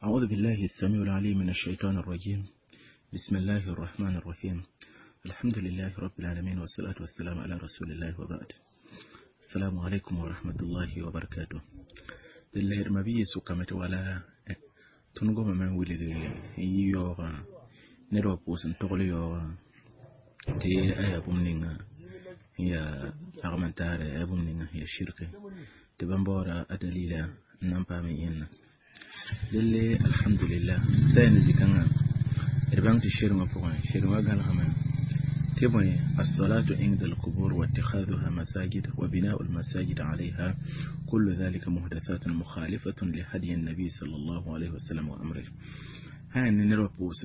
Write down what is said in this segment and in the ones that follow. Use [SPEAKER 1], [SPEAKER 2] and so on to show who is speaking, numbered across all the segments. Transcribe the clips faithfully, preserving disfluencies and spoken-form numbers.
[SPEAKER 1] أعوذ بالله السميع العليم من الشيطان الرجيم. بسم الله الرحمن الرحيم. الحمد لله رب العالمين، والصلاة والسلام على رسول الله، وبعد. السلام عليكم ورحمة الله وبركاته. Dɩ ma bɩ sʋkame tɩ wala tõnd gomame n wilg n yɩ yaoogã ned wa pʋʋs n togl yaoogã tɩ a yaa bũmb ninga n yaa lagm n taare, a yaa bũmb ninga n yaa shirke, tɩ bãmb baooda a dalila n na n paam yẽnna. Delle, alhamdulillah, sã ne zĩ-kãngã d bãng tɩ sherengã pʋgẽ sherengã gãlgame tɩ bõe: الصلاة عند القبور واتخاذها مساجد وبناء المساجد عليها، كل ذلك محدثات مخالفة لهدي النبي صلى الله عليه وسلم وأمره. هاي ned wa pʋʋs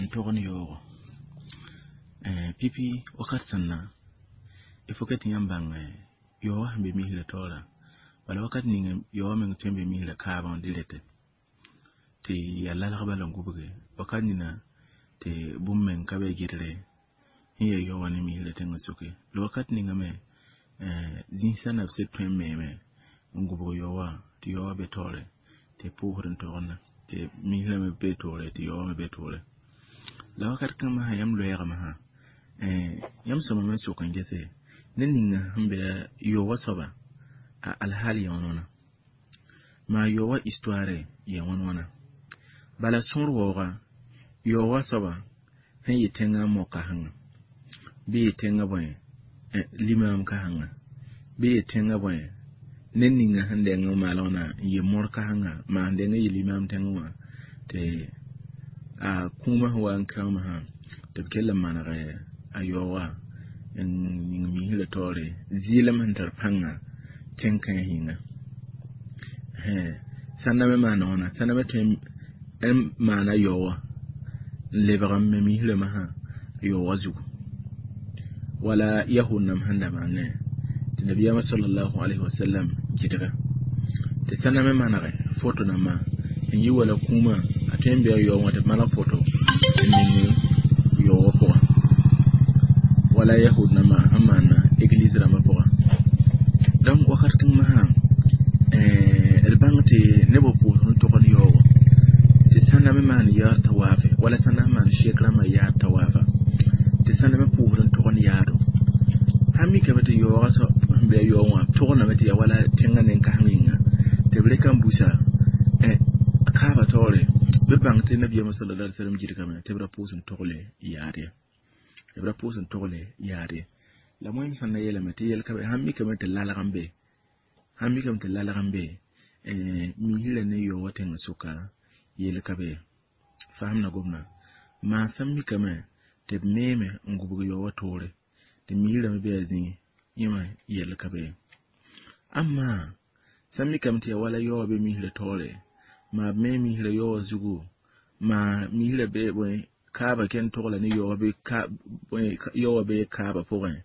[SPEAKER 1] n tog ne yaoogo pipi wakat sẽn na il faut que tɩ yãmb bãng yaoogã sẽn be misrã taoora. Bala wakat ning yaoogã meng tõe n be misrã kaabã direct tɩ yaa lalg bala n gubge wakat nina tɩ bũmb meng ka be gɩdre sẽn yaa yaoowã ne misrã tẽngã soke la wakat ninga me zĩsã na b sed tõe n meeme n gubg yaoowã tɩ yaoowã be taoore tɩ pʋʋsd n togenda tɩ misrã me be toore tɩ yaoowã me be toore. La wakat kãngã sã yãmb loɛɛgame sã yãmb sõma me sok n gese ned ninga sẽn be yaoowã soaba a alhaal yaa wãn wãna, maa yaoowã histoire yaa wãn wãna. Bala sõor waooga yaoowã soaba sẽn yɩ tẽngã mo-kãsenga bɩ yɩ tẽngã bõe limaam kãsenga bɩ yɩ tẽngã bõe ned ninga sẽn deng n maal wãna n yɩ mor kãsenga maa sẽn deng n yɩ limaam tẽngẽ wã tɩ a kũumã sẽn wa n kãoomã sã tɩ b kell n maneg a yaoogã n yĩng misrã taoore zɩɩlem sẽn tar pãnga tẽn-kãens yĩnga. Sãnda me maana wãna, sãnda me tõe n maana yaoowã n lebg n me misrã masã yaoowã zugu wala yahud nãmb sẽn da maanẽ tɩ nabiyaamã sallallahu alayhi wasallam gɩdga tɩ sãnda me manege foto nambã n yi wala kũumã a tõe n bɩ a yaoog wã tɩ b maneg foto n ning yaoogã pʋgã wala yahud nambã sẽn maana église rãmbã pʋgã. Donc wakat kãng masã d bãng tɩ neb wa pʋʋsd n togd yaoogã tɩ sãnda me maan yaad tawaafe wala sãnda sẽn maan shek rãmbã yaad tawaafa tɩ sãnda me pʋʋsd n togd yaado sãn mikame tɩ yaoogã sẽn be a yaoog wã togdame tɩ yaa wala tẽngã nen-kãseng yĩnga tɩ b rɩk n busa kaaba taoore bɩ bãng tɩ nabiyaamã sallallahu alaihi wasallam gɩdgame tɩ b ra pʋʋs n togle yaad ye, b ra pʋʋs n togle yaad ye. La wẽnd sẽn na yeelame tɩ yel ka be sãn mikame tɩ lalg n be, sãn mikame tɩ lalg n be misrã ne yaoowã tẽngã sʋka yel ka be fasem na gomdã maa sãn mikame tɩ b meeme n gubg yaoowã toore tɩ misrã me be a zĩig yẽma yel ka be. Amma sãn mikame tɩ yaa wala yaoowã be misrã taoore maa b me misrã yaoowã zugu maa misrã be bõe kaaba ken togla ne yaoowã be yaoowã be kaaba pʋgẽ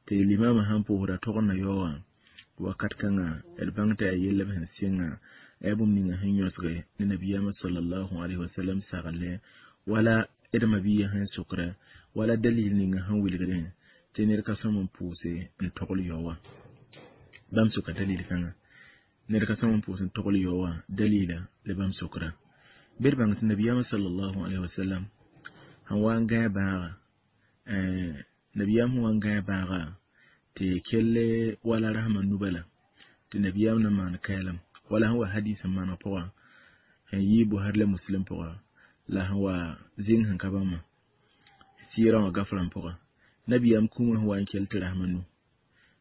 [SPEAKER 1] tɩ limamã sãn pʋʋsda togdna yaoowã wakat kãngã d bãng tɩ yaa yell b sẽn sɩnga a yaa bũmb ninga sẽn yõsge ne nabiyaamã sallallahu alaihi wasallam sagle wala d mabiya sẽn sokra wala dalil ninga sẽn wilgdẽ tɩ ned ka sõm n pʋʋse n togl yaoowã. Bãmb soka dalil kãngã ned ka sõm n pʋʋs n togl yaoowã dalila la bãmb sokra bɩ d bãng tɩ nabiyaamã sallallahu alaihi wasallam sẽn wa n gãe bãaga, nabiyaam sẽn wa n gãe bãaga tɩ kelle wala rasmã nubala tɩ nabiyaam na maan kɛɛlem wala sẽn wa hadis n maneg pʋga sẽn yɩ Buhari la Muslim pʋga la sẽn wa zĩng sẽn ka bãmba sɩɩrã wã gafrã pʋga nabiyaam kũumã sẽn wa n kell tɩ rasmã nu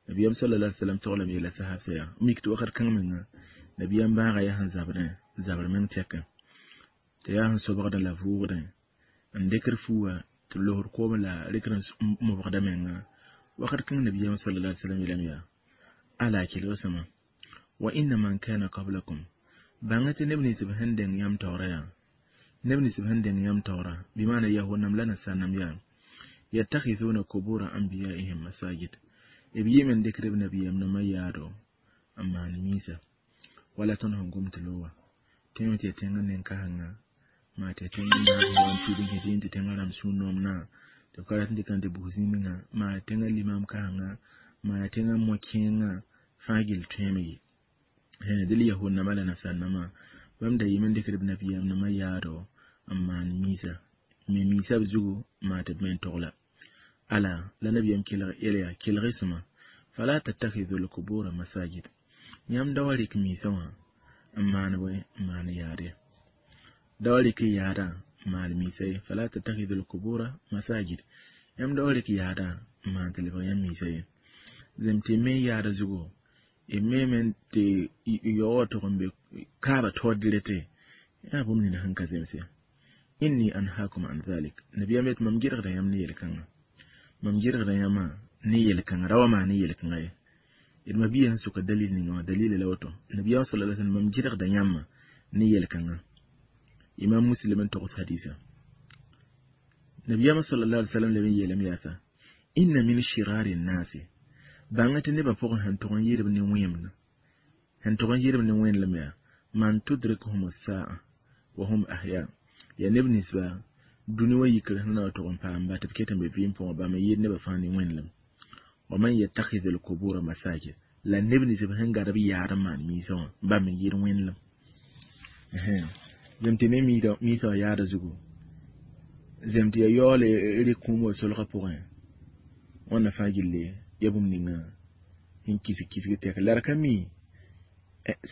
[SPEAKER 1] nabiyaam sallallahu alaihi wasallam toglame yeela sahabsã yaa mik tɩ wakat kãng menga nabiyaam bãaga yaa sẽn zabdẽ zabr meng tɛkẽ tɩ yaa sẽn sobgdẽ la vʋʋgdẽ n dɩkd fuuga tɩ losd koom la rɩkd n mobgda menga. Wakat kãng nabiyaam sallallahu alaihi wasallam yeelame yaa ala kelg sõma wa inna man kana qablakum bãnga tɩ neb nins b sẽn dẽng yãmb taoora yaa neb nins b sẽn dẽng yãmb taoora bɩ maana yahud-nãmb la nasaar-nãmb yaa yattakhidhuna qubura anbiyaihim masajid b yɩɩm n dɩkd b nabiyaam nãmbã yaado n maan miisa wala tõnd sẽn gom tɩ lowa tẽeme tɩ yaa tẽngã nen-kãsenga maa tɩ yaa tẽngã naab sẽn wa n tuud n kẽ tɩ tẽngã rãmb sũ-noom na tɩ b ka rat n dɩk n tɩ bus zĩ-menga maa yaa tẽngã limaam kãsenga maa yaa tẽngã mo-kẽengã fãa gill tõeeme ye. Dɩl yahud nãmbã la nasaar nãmbã Bãmb da yɩɩm n dɩkd b nabiyaam nãmbã yaado n maan miisa me miisa b zugu n maan tɩ b me n togla ala la nabiyaam kelg yɛl yaa kelg-y sõma fala tattakhidhu lqubura masajid yãmb da wa rɩk miisã wã n maan bõe n maan yaad ye da wa rɩk y yaadã n maan miisa ye fala tattakhidhu lqubura masajid yãmb da wa rɩk yaadã n maan tɩ lebg yãmb miisa ye zem tɩ me yaada zugu y me tɩ yaoogã tʋg n be kaaba taoor direte yaa bũmb nina sẽn ka zemse inni anhaakum an dhalik nabiyaam yet mam gɩdgda yãmb ne yel-kãngã mam gɩdgda yãmbã ne yel-kãngã ra wa maan ne yel-kãngã ye d mabia sẽn soka dalil ninga wã dalila la woto nabiyaam sala sallam mam gɩdgda yãmbã ne yel-kãngã imam muslim n togs hadisa nabiyaam sallallahu alaihi wasallam leb n yeelame yaasa inna min shirari nnasi bãnga tɩ nebã pʋgẽ sẽn tʋg n yɩɩdb ne wẽemd sẽn tʋg n yɩɩdb ne wẽnlem yaa man tudrikuhum saa wa hum ahya yaa neb ninsba dũni wã yikr sẽn na wa tʋg n paam ba tɩ b ket n be vɩɩm pʋgẽ bãmb n yɩɩd nebã fãa ne wẽnlem wa man yattakhidhu lqubura masajid la neb nins b sẽn gad b yaad n maan miisã wã bãmb n yɩɩd wẽnlem zem tɩ ne miisã wã yaada zugu zem tɩ ya yaoole rɩk kũum wa solgã pʋgẽ wãnna fãa gilli ya bũmb ninga sẽn kisg kisg tɛk la d ka mi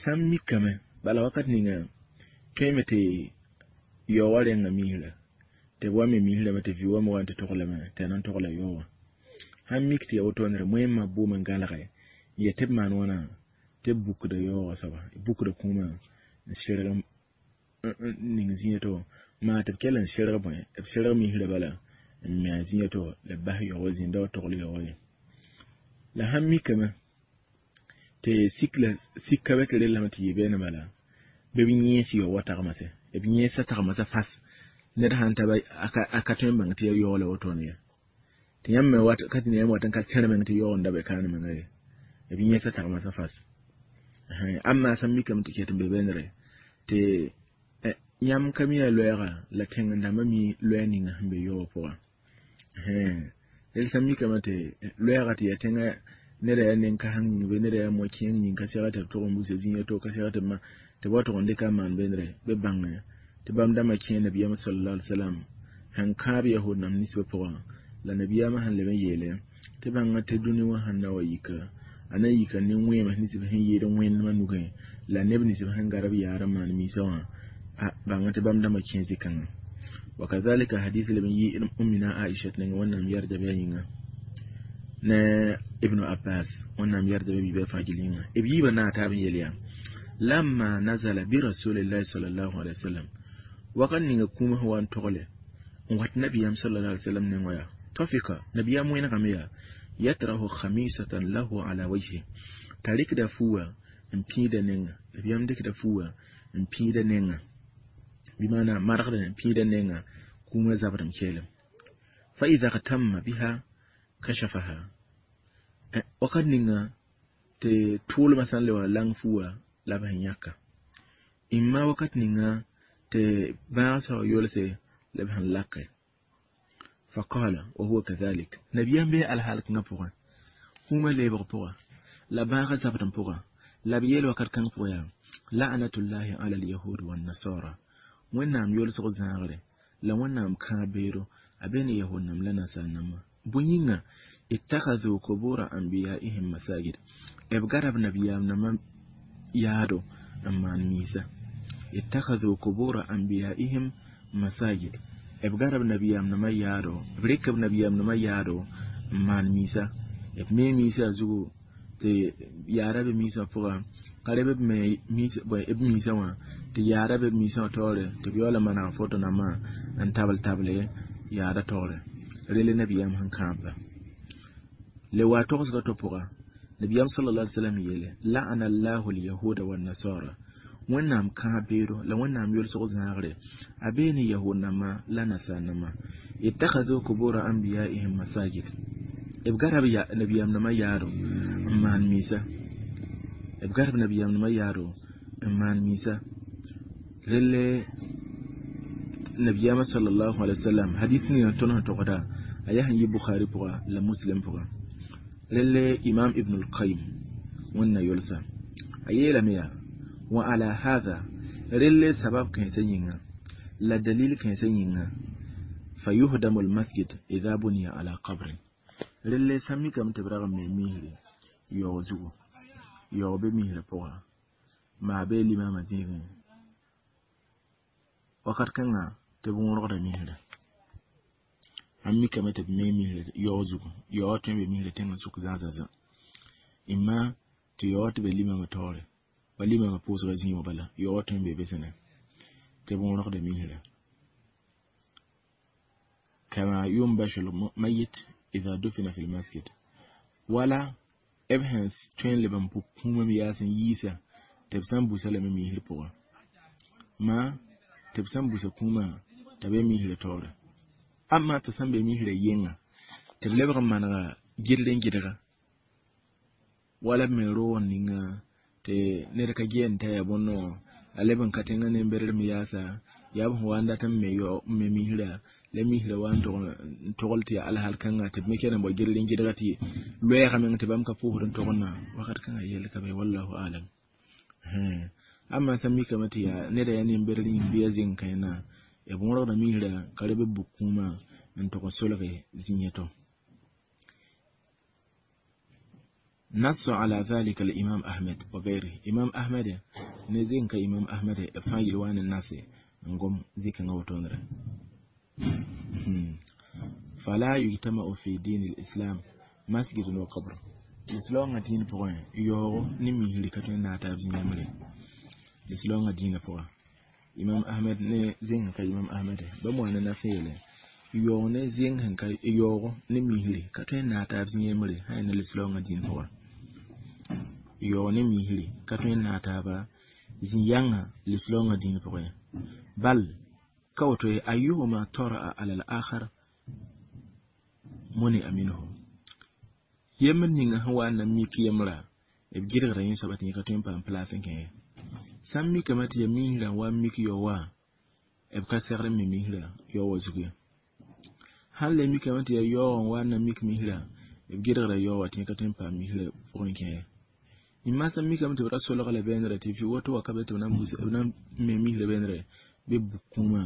[SPEAKER 1] sã n mikame bala wakat ninga tõeme tɩ yao wã rẽnga misra tɩ b wa me misrame tɩ vɩ wame wa n tɩ toglame tɩ a na n togla yao wã sãn mik tɩ ya wotone moẽmã boom n gãlge n yet tɩ b maan wãna tɩ b bukda yaoogã soaba bukda kũumã n sɩrg n ning zĩiga to maa tɩ b kell n sɩrg bõe b sɩrg misrã bala n me a zĩiga to la b bas yaoogã zĩig da wa togl yaoogã ye la sãn mikame tɩ sik la sik ka be tɩ rellame tɩ yɩ beene bala bɩ b yẽes yao wa tagmase b yẽesa tagmasa fas ned sãn ta a ka tõe n bãng tɩ ya yaoog la wotone ye tɩ yãmb me wat ka tɩ ne yãmb wat n ka tẽr meng tɩ yaoog n da be kaane menga ye b yẽesa tagmasa fas amma sãn mikame tɩ ket n be beenre tɩ yãmb ka mi a loɛɛga la tẽng dãmbã mi loɛɛ ninga sẽn be yaoogã pʋgã rel sãn mikame tɩ loɛɛga tɩ yaa tẽngã neda yaa nen-kãseng yĩng bɩ neda yaa mo-kẽeng yĩng ka sega tɩ b tʋg n busa zĩiga to ka sega tɩ b ma tɩ b wa tʋg n dɩka n maan beenre bɩ bãnge tɩ bãmb dãmbã kẽ nabiyaam sallallahu alaihi wasallam sẽn kãab yahud nãmb ninsbã pʋgã la nabiyaamã sẽn leb n yeele tɩ bãnga tɩ dũni wã sẽn na wa yika a na yika ne wẽem ninsb sẽn yɩɩd wẽndmã nugẽ la neb ninsb sẽn gad b yaar n maan miisã wã bãnga tɩ bãmb dãmbã kẽ zĩ-kãngã wakadhalika hadith leb n yɩ ummina aisha nengẽ wẽnnaam yɛrda bɩ a yĩnga ne ibnu abbas wẽnnaam yɛrda bɩ biibã fãa gil yĩnga b yiibã naag taab n yel yaa lamma nazala bi rasulillahi sallallahu alaihi wasallam wakat ninga kũumã sẽn wa n togle n wat nabiyaam sallallahu alaihi wasallam nengã yaa tafika nabiyaam wẽnegame yaa yatrahu khamisatan lahu ala wajhi t'a rɩkda fuuwã n pĩida nenga nabiyaam dɩkda fuuwã n pĩida nenga bɩ maana margd n pĩida nenga kũumã zabdem keelem fa idha gtamma biha kashafaha wakat ninga tɩ tʋʋlmã sã n le wa lang fuuwã la b sẽn yãka imma wakat ninga tɩ bãag sã wa yolse la b sẽn lake faqala wa huwa kadhalik nabiyaam bee alhaal kãngã pʋgẽ kũumã leebg pʋga la bãagã zabdem pʋga la b yeel wakat kãng pʋgã yaa la'natullahi ala alyahud wannasara wẽnnaam yolsg zãagre la wẽnnaam kãab beedo a be ne yahud nãmb la nasaar nãmbã bõe yĩnga ittakhadhu qubura anbiyaihim masajid b gada b nabiyaam nãmbã yaado n maan miisa ittakhadhu qubura anbiyaihim masajid b gada b nabiyaam nãmbã yaado b rɩk b nabiyaam nãmbã yaado n maan miisa b me miisã zugu tɩ yaada be miisã pʋga ka reb b me b miisã wã tɩ yaada be b miisã wã taoore tɩ b yaool n maneg foto nambã n tabl table yaada taoore rele nabiyaam sẽn kãabba le wa togsga to pʋga nabiyaam sallallahu alaihi wasallam yeele la'ana allahu alyahuda wannasara wẽnnaam kãab beedo la wẽnnaam yolsg zãagre a bee ne yahud nãmbã la nasaar nãmbã ittakhadhu qubura anbiyaihim masajid b gada b nabiyaam nãmbã yaado n maan miisa b gada b nabiyaam nãmbã yaado n maan miisa relle nabiyaamã sallallahu alaihi wasallam hadis ninga tõnd sẽn togda a yaa sẽn yɩ bukhari pʋga la muslim pʋga relle imam ibn al-qayyim wẽnna yolsa a yeelame yaa wa ala hadha Relle sabab kãensã yĩnga la dalil kãensã yĩnga fayuhdamu lmasjid ida buniya ala qabrin relle sã n mikame tɩ b rag n me misre yaoog zugu yaoog be misrã pʋga maa bee limama zĩigẽ wakat kãnga tɩ b wõrgda misrã sãn mikame tɩ b me misrã yaoog zugu yaoogã tõe n be misrã tẽngã sʋk zãasã zã ɩma tɩ yaoogã tɩ be limama taoore wa limama pʋʋsga zĩig wã bala yaoogã tõe n be be sẽne tɩ b wõrgda misrã kama yunbashu lmayit ida dufina fi lmasjid wala b sẽn tõe n leb n pʋ kũumã me yaas n yiisa tɩ b sã n busa lame misr pʋgã maa tɩ b sã n busa kũumã t'a be misrã taoore amma tɩ sã n be misrã yenga tɩ b lebg n manega gɩdr n gɩdga wala b me roog n ninga tɩ ned ka gɛɛn t'a yaa bõn a leb n ka tẽngã nembedr me yaasa yaa b sẽn wa n dat n me yao n me misrã la misrã wa n togl tɩ yaa alhal kãnga tɩ b me kell n bao gɩdr n gɩdga tɩ loɛɛga meng tɩ bãmb ka pʋʋsd n togdna wakat kãngã yell ka be wallahu alam amma sã n mikame tɩ yaa neda yaa nembedr yĩng bɩ ya zeng kãena b wõrgda misrã ka reb b buk kũumã n tog n solge zĩ-yã tɔ نص على ذلك الإمام أحمد وغيره إمام أحمد نزين كإمام أحمد فايل وان الناس نقوم ذيك نوتونر فلا يجتمع في دين الإسلام مسجد وقبر الإسلام دين بوين يو نمي هلكتون ناتاب زيامري الإسلام دين بوين إمام أحمد نزين كإمام أحمد بموانا نسيله yaoog ne zẽng sẽn ka yaoogo ne misri ka tõe n naag taab zĩ-yembre sã yaa ne lislaoongã dĩin pʋgã yaoog ne misri ka tõe n naag taaba zĩ-yãngã lislaoongã dĩin pʋgẽ bal ka woto ye ayuhuma tara'a ala al-akhar muni'a minhu yembr ninga sẽn wa n na mik yembrã b gɩdgda yẽ soaba tɩ yẽ ka tõe n paam place n kẽ ye sã n mikame tɩ yaa misrã n wa n mik yao wã b ka segd n me misrã yao wã zug ye sãn le mikame tɩ yaa yaoog n wa n na mik misrã b gɩdgda yao wã tɩ yẽ ka tõe n paam misrã pʋgẽ kẽ ye yĩmma sã n mikame tɩ b ra solga la beenrã tɩ woto wa ka be tɩ b na n me misrã beenrã bɩ b buk kũumã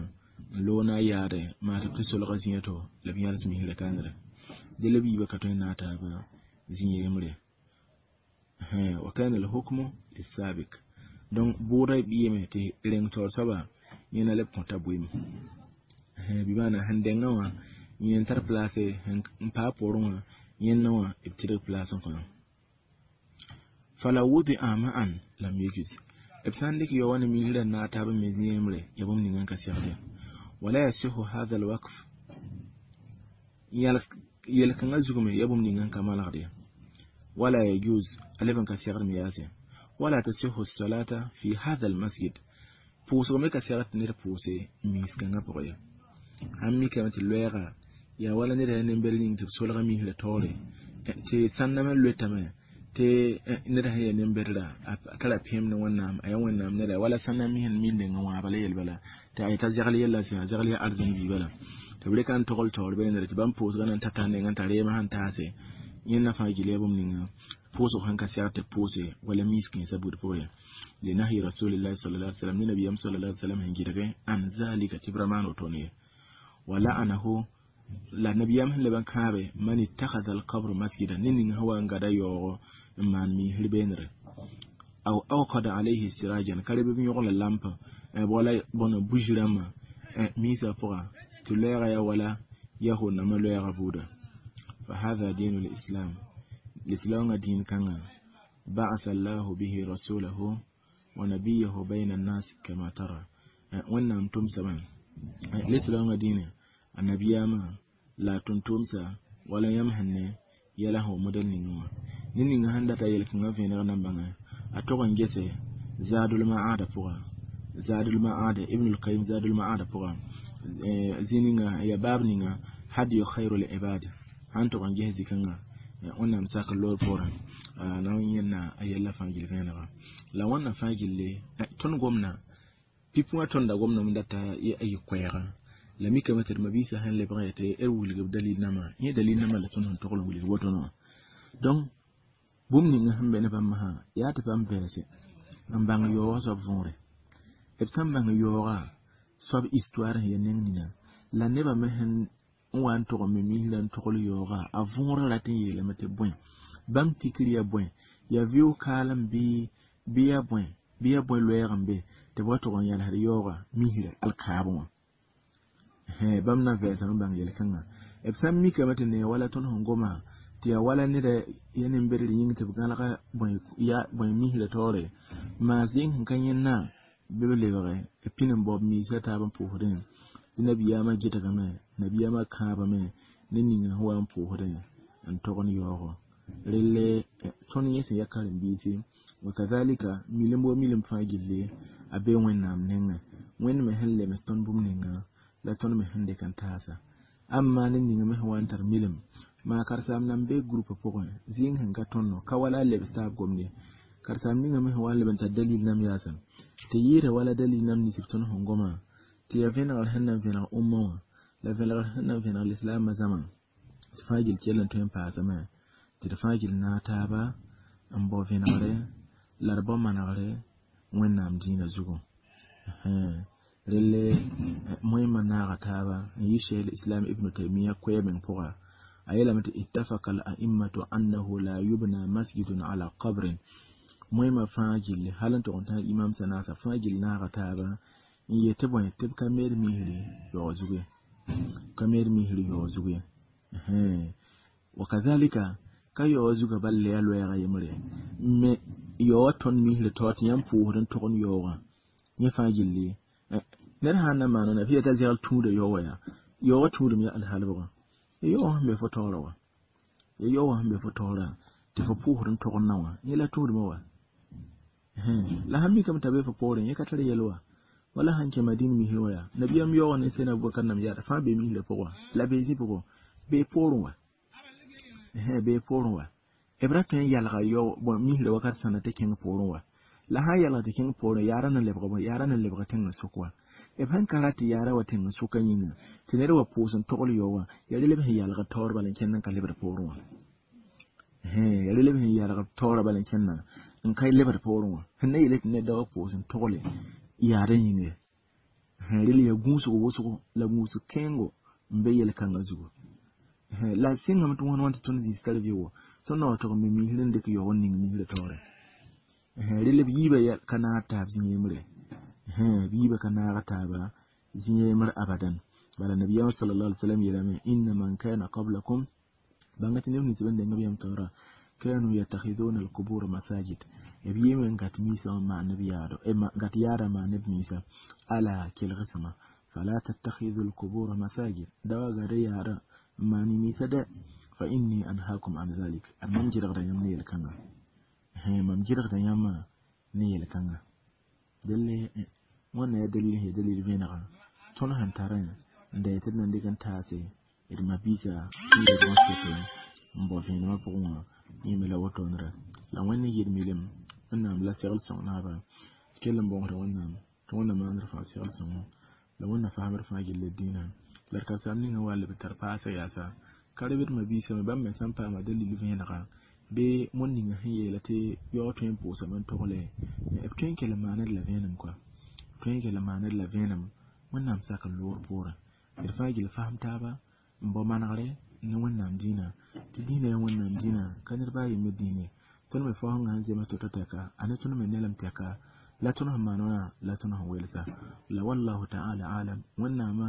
[SPEAKER 1] n loog na a yaade maa tɩ b tɩ solga zĩ-yã to la b yãls misrã kãngre dẽ la b yiibã ka tõe n naag taaba zĩ-yembre wa kana alhukmu lisabik donc bʋʋda b yeme tɩ reng taoor soaba yẽ na leb kõta bʋɩm bɩ maana sẽn dẽngã wã yẽ n tar place n paa poorẽ wã yẽndã wã b tɩdg place n kõ fala wudia ma'an lam yajuz b sã n dɩk yao wã ne misrã n naag taab n me zĩ-yembre yaa bũmb ninga n ka segd ye wala yasihu hadha alwaqf yel-kãngã zug me yaa bũmb ninga n ka malgd ye wala yajuz a leb n ka segd me yaase wala tasihu salata fi hadha almasjid pʋʋsg me ka segd tɩ ned pʋʋse miis-kãngã pʋgẽ ye sãn mikame tɩ loɛɛga yaa wala ned yaa nembɛr yĩng tɩ b solga misrã taoore tɩ sãndame loetame tɩ ned sẽn yaa nembɛdrã a tara pẽem ne wẽnnaam a yaa wẽnnaam neda wala sãnda mis n mis nengã wãaba la yel bala tɩ a yeta zegl yella sẽn a zegl yaa arzẽn bii bala tɩ b rɩka n togl taoor beenre tɩ bãmb pʋʋsgã na n ta tar nengã n tar reemã sẽn taase yẽnda fãa gil yaa bũmb ninga pʋʋsg sẽn ka segd tɩ b pʋʋse wala mis kãensã buud pʋgẽ ye linahyi rasulillahi sallallahu alaihi wasallam ne nabiyam sallallahu alaihi wasallam sẽn gɩdge an zalika tɩ b ra maan wotone ye wa la'anahu la nabiyam sẽn leb n kãabe man ittakhadha alqabr masjida ne ning sẽn wa n gada yaoogo n maan misr beenre aw awqada alayhi sirajan ka reb b yõgla lampa wala bõna buji rãmbã misã pʋga tɩ loɛɛga yaa wala yahʋʋd-nambã loɛɛga buuda fa hadha dinu lislam lislaoongã dĩin kãngã ba'atha allahu bihi rasulahu wa nabiyahu bayna annas kama tara wẽnnaam tʋmsame lislaoongã dĩinã a nabiyaamã la a tʋm-tʋmsa wala yãmb sẽn ne yɛla sẽn wa modɛl ningẽ wã ned ninga sẽn data yel-kãngã vẽeneg na n bãnge a tog n gese zadul ma'ada pʋga zadul ma'ada ibn al-qayyim zadul ma'ada pʋga zĩ ninga ya baab ninga hadiyu khairul ibad sãn tog n ges zĩ-kãngã wẽnnaam sak loor poorẽ na n yẽnna a yɛlla fãa gill vẽenega la wãnna fãa gilli tõnd gomna pipi wã tõnda gomdame data a yɩ koɛɛga la mikame tɩ d mabiisã sẽn lebg n yetɩ d wilg b dalil nambã yẽ dalil nambã la tõnd sẽn togl n wilg wotone wã donc bũmb ninga sẽn be ne bãmb sã yaa tɩ bãmb bɛɛse n bãng yaoogã soab võore b sã n bãng yaooga soab histoire sẽn ya neng nina la nebã me sẽn n wa n tog n me misrã n togl yaooga a võorã rat n yeelame tɩ bõe bãmb tikr yaa bõe yaa vɩʋʋg kaalem bɩ bɩ yaa bõe bɩ yaa bõe loɛɛg n be tɩ b wa tog n yãlsd yaooga misrã alkaabẽ wã bãmb na vɛɛsame bãng yel-kãngã b sã n mikame tɩ nee wala tõnd sẽn goma tɩ yaa wala neda ya nin-bedr yĩng tɩ b gãlga bõe misrã taoore maas yĩng sẽn ka yẽnna bɩ b lebge b pĩn n bao b miisã taab n pʋʋsdẽ tɩ nabiyaamã gɩdgame nabiyaamã kãabame ne ninga sẽn wa n pʋʋsdẽ n togd yaoogo relle tõnd yẽ sẽn ya karen-biisi wakadhalika milim wa milim fãa gilli a be wẽnnaam nengẽ wẽnd me sẽn lems tõnd bũmb ninga la tõnd me sẽn dɩk n taasa amma ne ninga me sẽn wa n tar milim maa karen-saam nan be groupe pʋgẽ zɩɩng sẽn ka tõndo ka wala a lebs taab gomde karen-saam ninga me sẽn wa n leb n tar dalil nam yaasã tɩ yɩɩda wala dalil nam nins b tõnd sẽn goma tɩ yaa vẽnegr sẽn na n vẽneg umma wã la vẽnegr sẽn na n vẽneg lislaamã zãma tɩ fãa gill kell n tõe n paasame tɩ d fãa gill naag taaba n bao vẽnegre la d bao manegre wẽnnaam dĩinã zugu relle moẽmã naaga taaba n yɩ cheikh islam ibn taymiyya koɛɛ meng pʋga a yeelame tɩ ittafaqa al a'immatu annahu la yubna masjidun ala qabrin moẽmã fãa gilli hal n tog n tãag imam sã naasa fãa gill naaga taaba n yet tɩ bõe tɩ b ka meed misri yaoog zugu ye ka meed misri yaoog zugu ye wakadhalika ka yaoog zugã bal la yaa loɛɛga yembre me yaoogã tõnd misri taoor tɩ yãmb pʋʋsd n togd yaoogã yẽ fãa gilli ned sã n na maan wãna fɩ yaa t'a zɛgl tũuda yaoog wã yaa yaoogã tũudum yaa alhalbgã ya yaoogã sẽn be fo taoorã wa ya yaoogã sẽn be fo taoorã tɩ fo pʋʋsd n togd na wã yẽ la tũudmã wa la sãn mikame t'a be fo poorẽ yẽ ka tar yɛl wa wala sãn kẽ madin misr wã yaa nabiyaam yaoogã ne sẽn Abubakar nam yaada fãa bee misrã pʋgã la bee zĩ-pʋgẽ bee poorẽ wa bee poorẽ wa b ra tõe n yalga yaoog misrã wakat sãna tɩ kẽng poorẽ wa la sãn yalg tɩ kẽng poorẽ yaara na lebg bõe yaara na lebg tẽng sʋk wa b sẽn ka rat tɩ yaara wa tẽng sʋka yĩnga tɩ ned wa pʋʋs n togl yaoog wã yaa rel b sẽn yalg taoor bala n kẽnd n ka lebd poorẽ wã yaa rel b sẽn yalg taoorã bala n kẽndã n ka lebd poorẽ wã sẽn na yeele tɩ ned da wa pʋʋs n togle yaada yĩnga rel yaa gũusg wʋsgo la gũusg kẽengo n be yel-kãngã zugu la sɩngame tɩ wãn wãn tɩ tõnd zĩis tar vɩʋʋgo tõnd na wa tog n me misr n dɩk yaoog n ning misrã taoore rel b yiibã ka naag taab zĩ yembre b yiibã ka naag taaba zĩ yembre abadan bala nabiyaamã sallallahu alaihi wasallam yeelame inna man kana qablakum bãnga tɩ neb nins b n deng b yãmb taoora kanu yattakhiduna alqubur masajid b yɩɩme n gat miisã wã maan b yaado gat yaada maan b miisã ala kelgsẽma fala tattakhidhu alqubur masajid da wa gada yaada n maan y miisã dɛ fa inni anhaakum an dhalik ad mam gɩdgda yãmb ne yel-kãnga mam gɩdgda yãmbã ne yel-kãnga delle wãnna yaa dalil sẽn yaa dalil vẽnega tõnd sẽn tarẽ n da tɩ d na n dɩk n taase d mabiisã sũurd wã soke n bao vẽenemã pʋgẽ wã yẽ me la wotondra la wẽnd n yɩɩd milim wẽnnaam la segl sõng naaba kell n bõosda wẽnnaam tɩ wẽnnaam maand d fãa segl sõngo la wẽnna faamd fãa gill d dĩinã la d karen-saam ninga wa leb tar paasã yaasa ka rebd mabiisã me bãmb me sã n paama dalil vẽenega bɩ wẽnd ninga sẽn yeela tɩ yaoog tõe n pʋʋsame n togle b tõe n kell n maaned la vẽenem koa tõe n kell n maaned la vẽenem wẽnnaam sak n loor poorẽ d fãa gill fasem taaba n bao manegre ne wẽnnaam dĩinã tɩ dĩinã yaa wẽnnaam dĩinã ka ned baa yembre dĩine tõnd me faoosengã sẽn zems to-to tɛka a ne tõnd me nelem tɛka la tõnd sẽn maan wã la tõnd sẽn welsa la wallahu ta'ala alam wẽnnaamã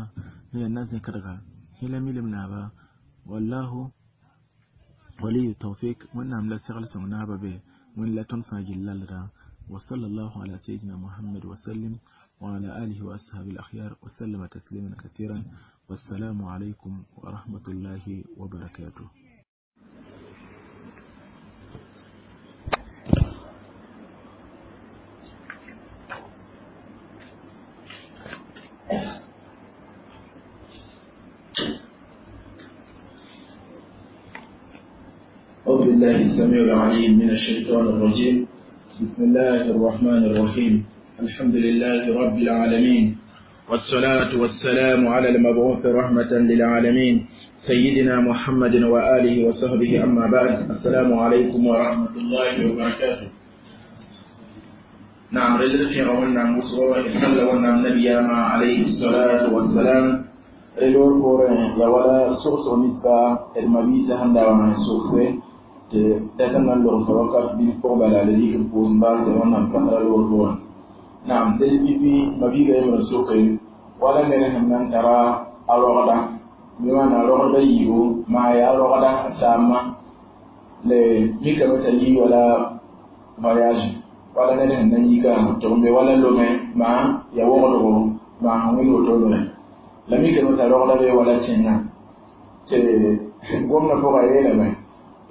[SPEAKER 1] sẽn yaa na-zẽkdga yẽ la milim naaba wallahu waliyu tawfik wẽnnaam la segl sõng naaba be wẽnd la tõnd fãa gill lalda wa sallallahu ala sayyidina muhammad wa sallim wa ala alihi wa ashabi al-akhyar wa sallama tasliman kathiran والسلام عليكم ورحمة الله وبركاته. أعوذ بالله السميع العليم من الشيطان الرجيم. بسم الله الرحمن الرحيم. الحمد لله رب العالمين، والصلاة والسلام على المبعوث رحمة للعالمين سيدنا محمد وآله وصحبه، أما بعد، السلام عليكم ورحمة الله وبركاته. نعم رجل في غولنا مصر صلى والنام نبينا عليه الصلاة والسلام رجل فورن يا ولا سوس ونسبة المبيسة هندا ومن سوسة تتنى اللغة فوقف بالقربة لديك البوزنباز ونام كثر الورفورن نعم دل في مبيغة من سوقي ولا نرهم من ترى الرغدة بمعنى الرغدة يو ما يا الرغدة سامة لميكا متلي ولا voyage wala ned sẽn na n yika tɩ b be wala Lome maa ya wogdgo maa sẽn wɩl wotone la mikame t'a rogda be wala tẽngã tɩ gomdã pʋgã yeelame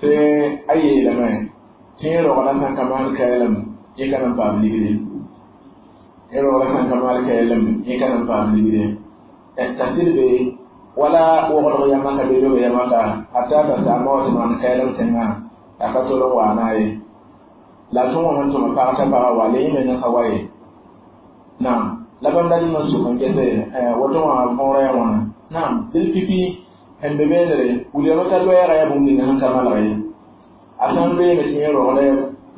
[SPEAKER 1] tɩ a yeelame tɩ yẽ rogdã sã n ka maan kaɛlem yẽ ka na n paam ligde yẽ rogdã sã n ka maan kaɛlem yẽ ka na n paam ligde t'a sɩd be wala wogdg yamã ka be lobe yamã ka a taa t'a saamba wa tɩ maan kaɛlem tẽngã a ka tol n waana ye la tõn wã n tʋma pag t'a paga wa la yẽ menga ka wa ye naam la bãmb dat n sʋk n gese woto wã võora ya wãna naam dɩl pipi sẽn be beenere wilgame t'a loɛɛga yaa bũmb ninga sẽn ka malg ye a sã n loeeme tɩ yẽ rogda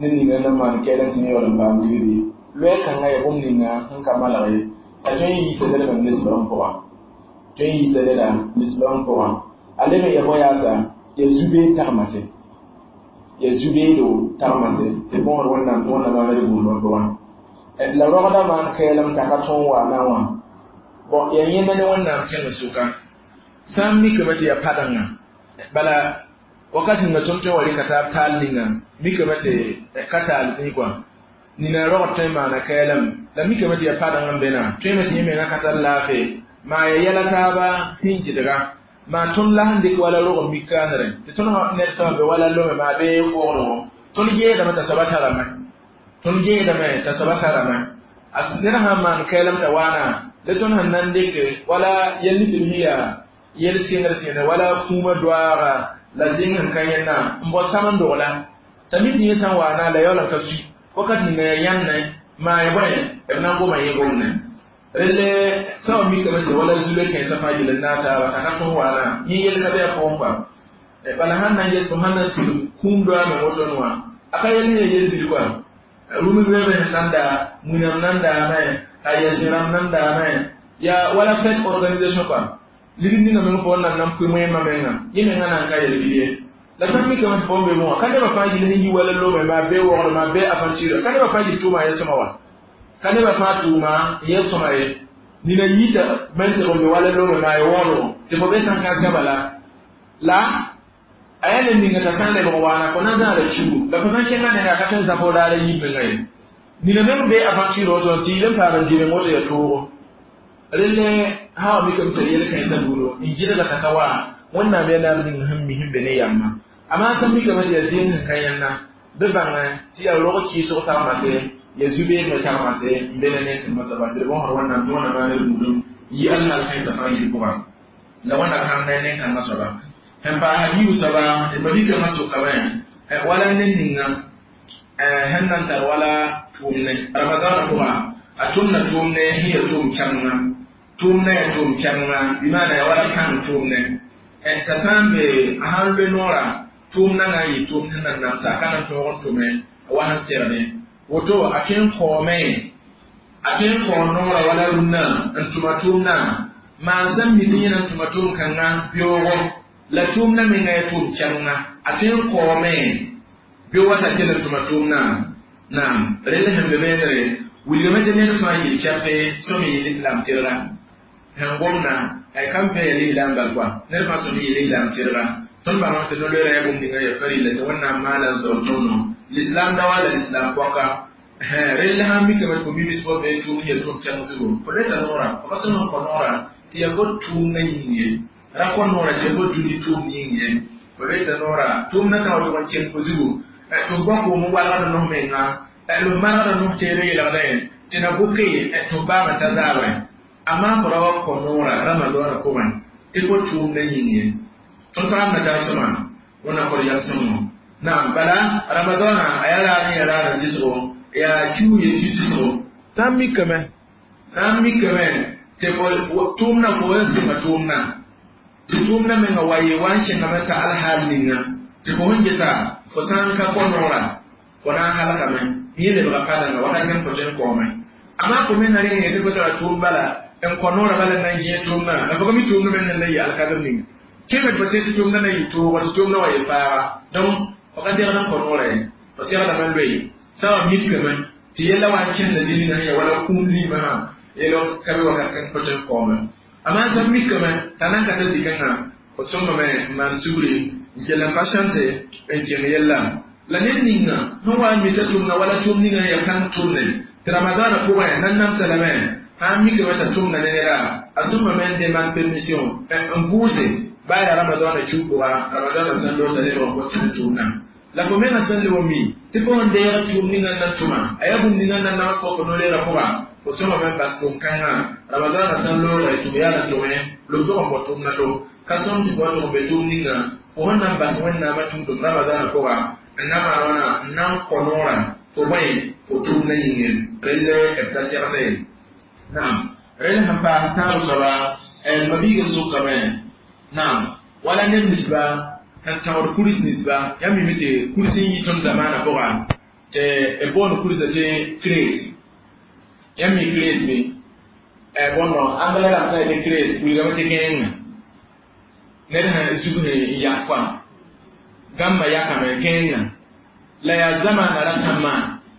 [SPEAKER 1] ned ninga na maan kɛɛlem tɩ yẽ yaool n paam ligdi loɛɛ kãngã yaa bũmb ninga sẽn ka malg ye a tõe n yiisa ned me nisbã pʋga tõe n yiisa neda nisbã pʋga a leb n ya bõ-yaasa ya zu-beed tagmase ya zubeedo tagmase tɩ bõosd wẽnnaam tɩ wẽnnaam maana d gũudmã pʋgã la rogdã maan kɛɛlem t'a ka tõog waana wã bõn ya yẽnda ne wẽnnaam kẽng sʋka sã n mikame tɩ ya padenga bala wakat ninga tõnd tõe n wa rɩka taab taal ninga mikame tɩ ka taal zĩ kɔa nina rogd tõe n maana kɛɛlem la mikame tɩ ya padeng n bena tõeme tɩ yẽ menga ka tar laafɩ maa ya yɛla taaba sẽn gɩdga maa tõnd la sẽn dɩk wala rog n mikaanere tɩ tõnd ned sã be wala Lome maa bee wogdgo tõnd geedame t'a soaba tarame tõnd geedame t'a soaba tarame a ned sãn maan kɛɛlem t'a waana la tõnd sẽn na n dɩke wala yɛl tɩ b sẽn yaa yɛl sɩngd sẽne wala kũumã doaaga la zĩng sẽn ka yẽnna n bao sam n dogla t'a mi tɩ yẽ sã n waana la yaool n ka sui wakat ninga yaa yãnne maa ya bõe b na n goma yẽ gomne relle sã wa mikame tɩ wala zule kãensã fãa yel n naag taaba t'a ka tõog waana yẽ yel ka bɩ a pʋgẽ kɔa bala sãn na n ges fo sãn na n tigim kũum doaame wotone wã a ka yel sẽn ya yel bil kɔa rũmb reebe sẽn nan daa wĩnam nan daame a ya zẽ-rãmb nan daame yaa wala fête organisation kɔa ligd ninga meng fo nan nan pʋɩ moẽmã menga yẽ menga nan ka yel bil ye la sã n mikame tɩ fo n be wã ka nebã fãa yɩl sẽn yi wala Lome maa bee wogd maa bee aventure ka nebã fãa yɩl tʋʋma ye sõma wa ka nebã fãa tʋʋma n yɛ sõma ye nina yita men tɩg n be wala Lome maa ye wogdgo tɩ fo be sã n ka gaba la la a yaa ned ninga t'a sã n lebg waana fo na n zãada kiugu la fo sã n kẽnga nengã ka tõe n zã fo raara yib menga ye nina meng bee aventure woto tɩ yɩl n paam n dɩ woto ya toogo relle sã wa mikame tɩ yel kãensã buudo n gɩdga t'a ka wa wẽnnaam yaa naab ning sẽn mi sẽn be ne yamma amaa sã n mikame tɩ yaa zĩig sẽn ka yẽnna bɩ bãngẽ tɩ yaa rog kɩɩsg tagmase ya zubeed me tagmase n be ne nen-kẽemã soaba tɩ d bõosd wẽnnaam tɩ wẽnnaam maan d buudum yi alhaal kãensã fãa yil pʋga la wẽnna kãng ne nen-kãngã soaba sẽn paasa yiibu soaba d mabikãngã sʋkame wala ned ninga sẽn na n tar wala tʋʋmne ramadaanã pʋga a tʋmna tʋʋmne sẽn ya tʋʋm kɛmenga tʋʋmna yaa tʋʋm kɛmenga bɩ maana yaa wala kãng tʋʋmne t'a sã n be a sãn loe noorã tʋʋm nanga n yɩ tʋʋm sẽn na n namsa a ka na n tõog n tʋme wa sẽn segde woto a tõe n kaoome a tõe n kao noorã wala rũnnã n tʋma tʋʋmdã maan sẽn mi tɩ yẽ na n tʋma tʋʋm kãngã beoogo la tʋʋmdã menga yaa tʋʋm kɛmenga a tõe n kaoome bɩ wa t'a kell n tʋma tʋʋmdã naam rell sẽn be beenere wilgame tɩ ned fãa yɩl kɛpe sõm yɩ lislaam tɩrga sẽn gomna kam fẽ ya lislaam bal kɔa ned fãa sõm yɩ lislaam tɩrga tõnd bãngame tɩ no-loeera yaa bũmb ninga ya farila tɩ wẽnnaam maala n zaoor tõndo lislaam da wa la lislaam pɔka rell sãn mikame tɩ fo mibs fo bee tʋʋm ya tʋʋm kɛng zugu fo reta noorã fo ka sõm n kõ noorã tɩ ya fo tʋʋmdã yĩng ye ra kõ noorã tɩ ya fo dũni tʋʋm yĩng ye fo reta noorã tʋʋmdã sã wa tʋg n keng fo zugu tɩ f bã koom n walgd nos menga tɩ f manegd nos teere yeelgdẽ tɩ na bʋke tɩ f baame t'a zaabẽ amaa fo ra wa kõ noorã ramadaanã pʋgẽ tɩ fo tʋʋmdã yĩng ye tõnd paamda tar sõma wẽnnaam kõ d yɛl sõngo naam bala ramadaanã a yaa raar n ya raar n dɩsgo yaa kiu ye ki-dɩsgo sã n mikame sã n mikame tɩ fo tʋʋmdã fo n sɩnga tʋʋmdã tɩ tʋʋmdã menga wa yɩ wa n kẽngame ta alhaal ninga tɩ fo sẽn geta fo sã n ka kõ noorã fo na n halgame Yẽ lebga pa dãnga wakat kãng fo tõe n kaoome amaa fo me na rẽng yẽ tɩ fo tara tʋʋm bala n kõ noorã bala n na n gẽeg tʋʋmdã la fo ka mi tʋʋmd me n na yɩ alkadr ninga kẽme fo tɩ tʋʋmdã na yɩ toogɔ tɩ tʋʋmdã wa yɩ faaga donc fo ka segd n kõ noorã ye fo segdame n loe sã wa mikame tɩ yella wa n kẽnda zĩig sẽn ya wala kũum zĩimã sã yel ka be wakat kãng fo tõe n kaoome amaa sã mikame t'a nan ka ta zĩ-kãngã fo sõngame n maan sugri n kell n patiente n kẽng yella la ned ninga sẽn wa n mita tʋmda wala tʋʋm ninga n ya kãng tʋmne tɩ ramadaana pʋgẽ nan namsa lame sã n mikame t'a tʋmda ne neda a sõngame n demande permission n vʋʋse baa yaa ramadaana kiu pʋga ramadaana sãn loog t'a lebg n kõ tɩ tʋʋmdã la fo menga sẽn leb n mi tɩ fo sẽn deeg tʋʋm ninga n na n tʋma a yaa bũmb ninga n na nams fo fo no-leerã pʋga fo sõngame n bas tʋʋm-kãngã ramadaana sãn looge tʋm yaa la tʋme lob tʋg n bõ tʋmdã to ka sõm tɩ fo wa tʋg n be tʋʋm ninga fo sẽn na n bas wẽnnaamã tũudum ramadaana pʋga n na maan wãna n na n kõ noorã fo bõe fo tʋʋmdã yĩnge relle b ta segse ye naam rel sẽn paas tãab soaba mabiiga sʋkame naam wala neb ninsba sẽn tãgd kuris ninsba yãmb mime tɩ kurs n yi tõnd zamaanã pʋga tɩ b boond kursã tɩ crate yãmb mi crate be bõndo anglais rãmb sã n yetɩ crate wilgame tɩ kẽenga ned sẽn zug sẽn yak kɔa gãmbã yakame kẽenga la yaa zamaana rasãmbã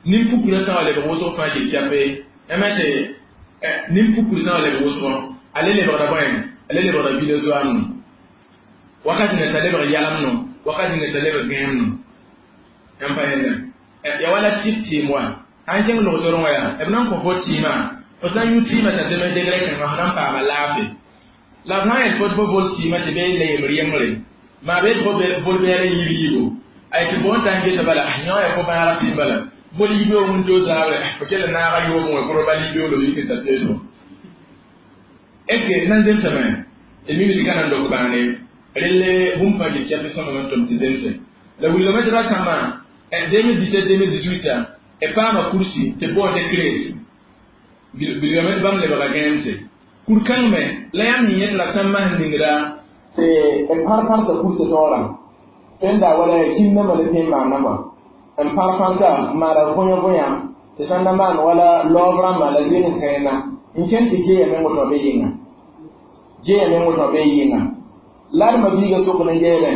[SPEAKER 1] nin-pukrã sã wa lebg wʋsg fãa gil chape yãmb tɩ nin-pukr sã wa lebg wʋsgɔ a le lebgda bõe a le lebgda villageois no wakat ninga t'a lebg yalem no wakat ninga t'a lebg gãem no yãmb pa yẽnda ya wala tɩp tɩɩm wa sãn kẽng log-torẽ wã yaa b na n kõ fo tɩɩmã fo sã n yũ tɩɩmã t'a zems degrɛ kãngã fo na n paama laafɩ la b sã n yet fo tɩ fo vol tɩɩmã tɩ bee la yembr yembre maa bee tɩ fo vol bɛɛl n yib yiibo a yetɩ fo n ta n gesa bala yõ ya fo bãaga tɩɩm bala vol yibeoog n toos zaabre fo kell n naaga yoom wã kʋr bal yibeoog yik n ta teesgo est ce que nan zemsame d mime tɩ ka na n dok bãane relle bũmb fãa gil kɛp sõma n tʋm tɩ zemse la wilgame tɩ rasãmbã deux mille dix-sept deux mille dix-huit b paama kursi tɩ boond tɩ crate bilgame tɩ bãmb lebga gãemse kur-kãng me la yãmb yẽ yẽ tɩ la sãmbã sẽn ningda tɩ b pãr-pãrsa kursa taoorã tẽnda wala kĩndãmbã la tẽ n maana kɔa n pãr-pãrsa n maana võyã võyã tɩ sãn na maan wala laoob rãmbã la zɩɩg n kẽena n kẽn tɩ geeya meng woto be yɩnga geeya meng woto be yɩnga la d mabiiga sokd n yeelẽ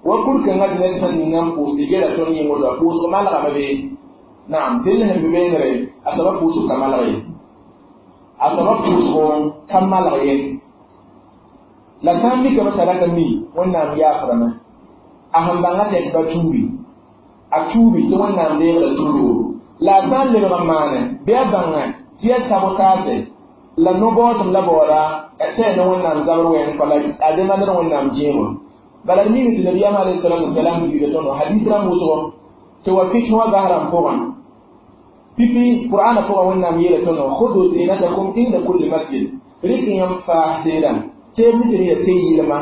[SPEAKER 1] wa kur-kãngã tɩ ned sẽn ninga n pʋʋs tɩ gela tõnd yĩng woto pʋʋsg malgame be naam tɩ sẽn be beengre a soaba pʋʋsg ka malg ye a soaba pʋʋsgo ka malg ye la sã n mikame t'a raka mi wẽnnaam yaafdame a sẽn bãnga tɩ ba tuubi a tuubi tɩ wẽnnaam deegda tuugo la a sã n lebg n maane bɩ a bãnga tɩ yaa sabotaase la no-baoosem la baooda tɩ yaa ne wẽnnaam zabr wɛɛng pa la a demandr wẽnnaam gẽego bala d mime tɩ nabiyaam alayhi salatu wasalam wilga tõndo hadis rãmb wʋsgo tɩ wa fik wã bas rãmb pʋgã pipi qur'ana pʋgã wẽnnaam yeela tõndo khudu zinatakum inda kulli masjid rɩk yãmb faas seedã tɩ b mitr ya tɩ yɩlma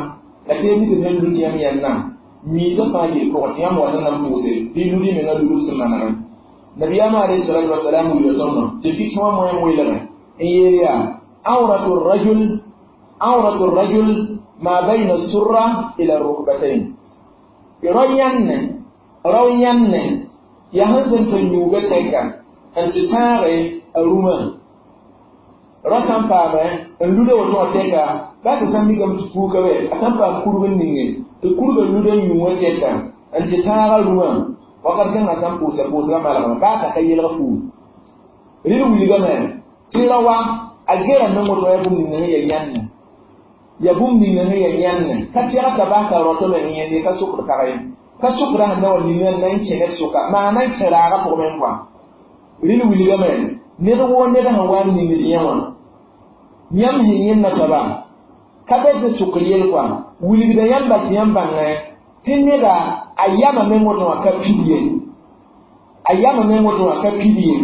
[SPEAKER 1] la tɩ b mitr sẽn lut yãmb yẽnna miisã fãa gil pʋgẽ tɩ yãmb wat n na n pʋʋse bɩ lud y menga ludb sẽn manegẽ nabiyaam alayhi salatu wasalam wilga tõndo tɩ fik wã moẽ welgẽ n yeel yaa awratu rajul awratu rajul ma bayna surra ila rukbatayn rao yãnne rao yãnne yaa sẽn zemsa yũuga tɛka n tɩ tãage a rũmã rao sã n paame n luda woto wã tɛka baa tɩ sã n mikame tɩ puuka be a sã n paam kurg n ninge tɩ kurgã luda n yũ wã tɛka n tɩ tãaga rũmã wakat kãngã sã n pʋʋsa pʋʋsgã malgame baa t'a ka yelg fuug rɩd wilgame tɩ ra wa a gera meng woto yaa bũmb ninga sẽn yaa yãnne ya bũmb ninga sẽn yaa yãnne ka tɛg t'a bas t'a rõtame n yẽnd ka sokd pag ye ka sokda sẽn na wa ninga n na n kẽ ned sʋka maa na n kẽ raagã pʋgẽ meng kɔa rɩd wilgame ned woo ned sẽn wa n ningd yẽ wã yãmb sẽn yẽnda soaba ka bɛ tɩ sʋkr yel kɔa wilgda yãmba tɩ yãmb bãngẽ tɩ neda a yama meng woto wã ka pid ye a yama meng woto wã ka pid ye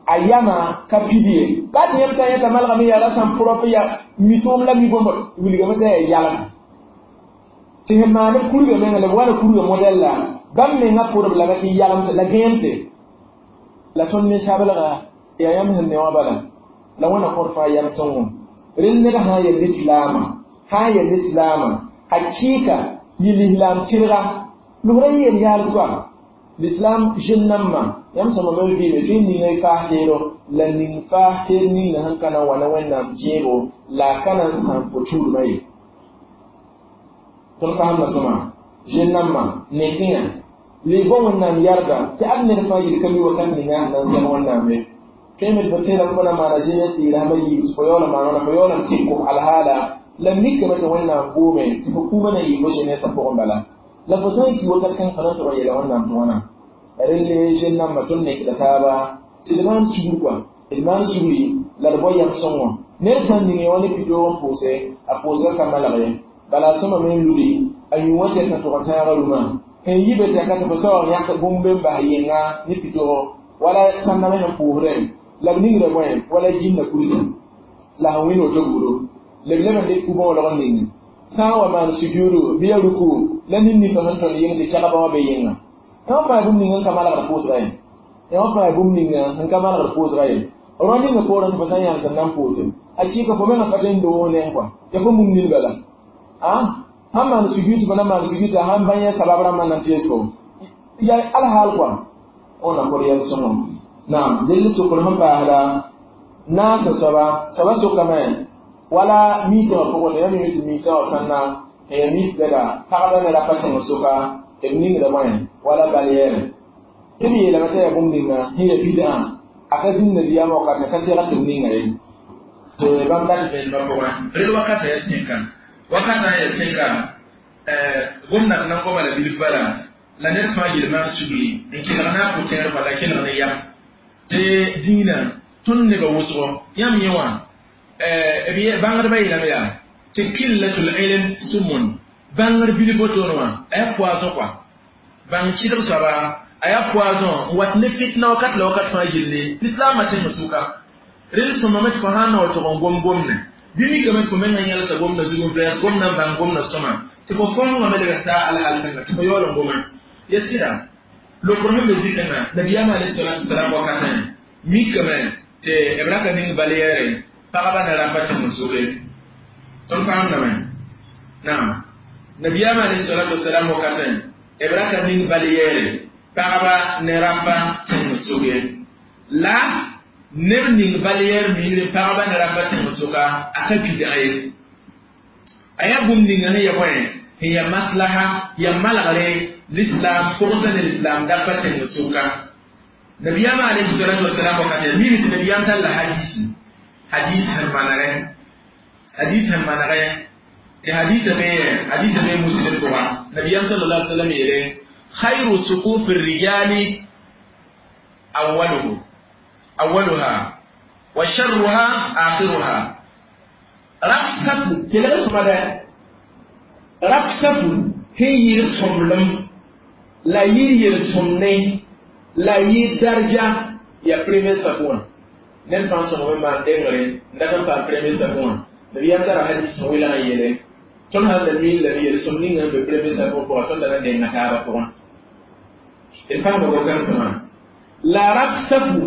[SPEAKER 1] a yama ka pid ye baa tɩ yãmb sã n yẽta malgame yaa ra sãn propre yaa mi tʋʋm la mi bõmb wilgame tɩ yaa yalem tɩ sẽn maan b kurga menga la b wa na kurga modɛl la bãmb menga pʋrb lame tɩ yalemse la gẽemse la tõnd ninsabelga yaa yãmb sẽn ne wã bala la wẽna kõt fãa yam sõngo rel ned sã n yaa lislaamã sã n yaa lislaamã hakɩɩka yɩ lislaam tɩrga lʋgrã yeel yaal soaba L'islam jeune namma yam sama me vi me fi ninga fa tero la ning fa ter ninga han kana wana wẽnnaam zẽebo la a ka na n sãam fo tuudmã ye. Tõnd faamda sõma jeune namma nekẽa le bõ wẽnnaam yarga tɩ ad ned fãa yel ka mi wakat ninga sẽn na n sɛg wẽnnaam ye. Tõe me tɩ fo tẽedame fo na maana jeunesse yɩɩrãmba yiib tɩ fo yaool n maan wãna fo yaool n tɩk kos alhaala la mikame tɩ wẽnnaam boome tɩ fo kũumã na yɩ fo jeunesse pʋgẽ bala la fo sã n ki wakat kãng fo na n tʋg n yeela wẽnnaam tɩ wãna. Relle jeune namba tõnd nekda taaba tɩ d maan sugr kɔa d maan sugri la d bao yam sõngo ned sã n ning wã ne pitoog n pʋʋse a pʋʋsga ka malg ye bala a sõma me n ludi a yũ wã tɩ a tʋg n tãaga rũmã n yi be tɩ a ka tɩ fo saoog yãk bũmb n bas yẽnga ne pitogo wala sãndame sẽn pʋʋsdẽ la b ningda bõe wala jĩnda kursa la sẽn wĩnd woto budo leb leb n dɩk ku-bõolg n ning sã n wa maan sujuudu bɩ ya ruku la nin-nifa sẽn tõnd yẽng tɩ kɛgba wã be yẽnga. Yã fãa bũmb ninga n ka malgd pʋʋsga ye. Yã fãa bũmb ninga n ka malgd pʋʋsga ye. Rõ ninga poorẽ tɩ fo sã n yãng tɩ n na n pʋʋse hakɩɩka fo menga pa tõe n doog neng kɔa ya fo mum nin bala a sãn maan sujud tɩ fo na maan sujud tɩ sãn bã yẽ sabab rãmbã na n tees fo ya alhaal kɔa wẽnna kod yɛl sõngo. Naam dell sokr sẽn paasda naasã soaba soaba sokame wala miisã wã pʋgẽ ya mime tɩ miisã wã sãnna n ya mis bɛda pagba ne rapa tẽng soka b ningda bõe wala bal yɛɛre tɩ b yeelame tɩ yaa bũmb ninga sẽn ya bidã a ka zĩnd nabiyaamã wakatã ka seg tɩ b ninga ye tɩ bãmb dat vẽenemã pʋgẽ rel wakatã ya sẽka wakatã ya sẽka gomnat nan goma la bilf bala la ned fãa yel maan sugri n kelg na a pʋ-tẽer la kelg ne yam tɩ dĩinã tõnd nebã wʋsgo yãmb yẽ wã bãngdbã yeelame yaa tɩ killatul ilm sumun bãngr bilf wotone wã a yaa poison kɔa bãng kɩdg soaba a yaa poison n wat ne fitna wakat la wakat fãa yelle lislaamã tẽng sʋka rel sõmame tɩ fo sãn na wa tʋg n gom gomne bɩ mikame tɩ fo menga yẽlsa gomna zug n vɛɛs gomna n bãng gomna sõma tɩ fo fõngame leb n taa alhaal kãnga tɩ fo yaool n goma ya sɩda lokr sẽn be zikãngã nabiyaamã alayhi salatu wasalam wakatẽ mikame tɩ b ra ka ning bal yɛɛre pagba ne rapa tẽng soke tõnd faamdame naam nabiyaamã alayhi salatu wasalam wakatẽ b ra ka ning bal yɛɛre pagba ne rapa tẽng soke la neb ning bal yɛɛr miigre pagba ne rapa tẽng soka a ka bidã ye a yaa bũmb ninga sẽn ya bõe sẽn ya maslaha ya malgre l'islam pʋgsa ne l'islam dapa tẽng soka nabiyaamã alayhi salatu wasalam wakatẽ miime tɩ nabiyaam tall hadisi hadis sẽn manegɛ hadis sẽn manegɛ tɩ hadisa be hadisa be muslim pʋga nabiyaam sallallahu alaihi wasallam yeele khayru sufufi rijali awwaluhu awwaluha wa sharruha akhiruha rap safu kelg sõma dɛ rap safu sẽn yɩɩd sõmblem la yɩɩd yel-sõmne la yɩɩd darja ya premier safu wã ned fãa sõng me maan dengre n dat n paam premier safu wã nabiyaam tara hadis sẽn wilg n yeele tõnd sãn da miin lame yel-sõm ninga n be premier safu pʋgã tõnd da na denga taabã pʋgã d paama gokãnsẽmã la rap safu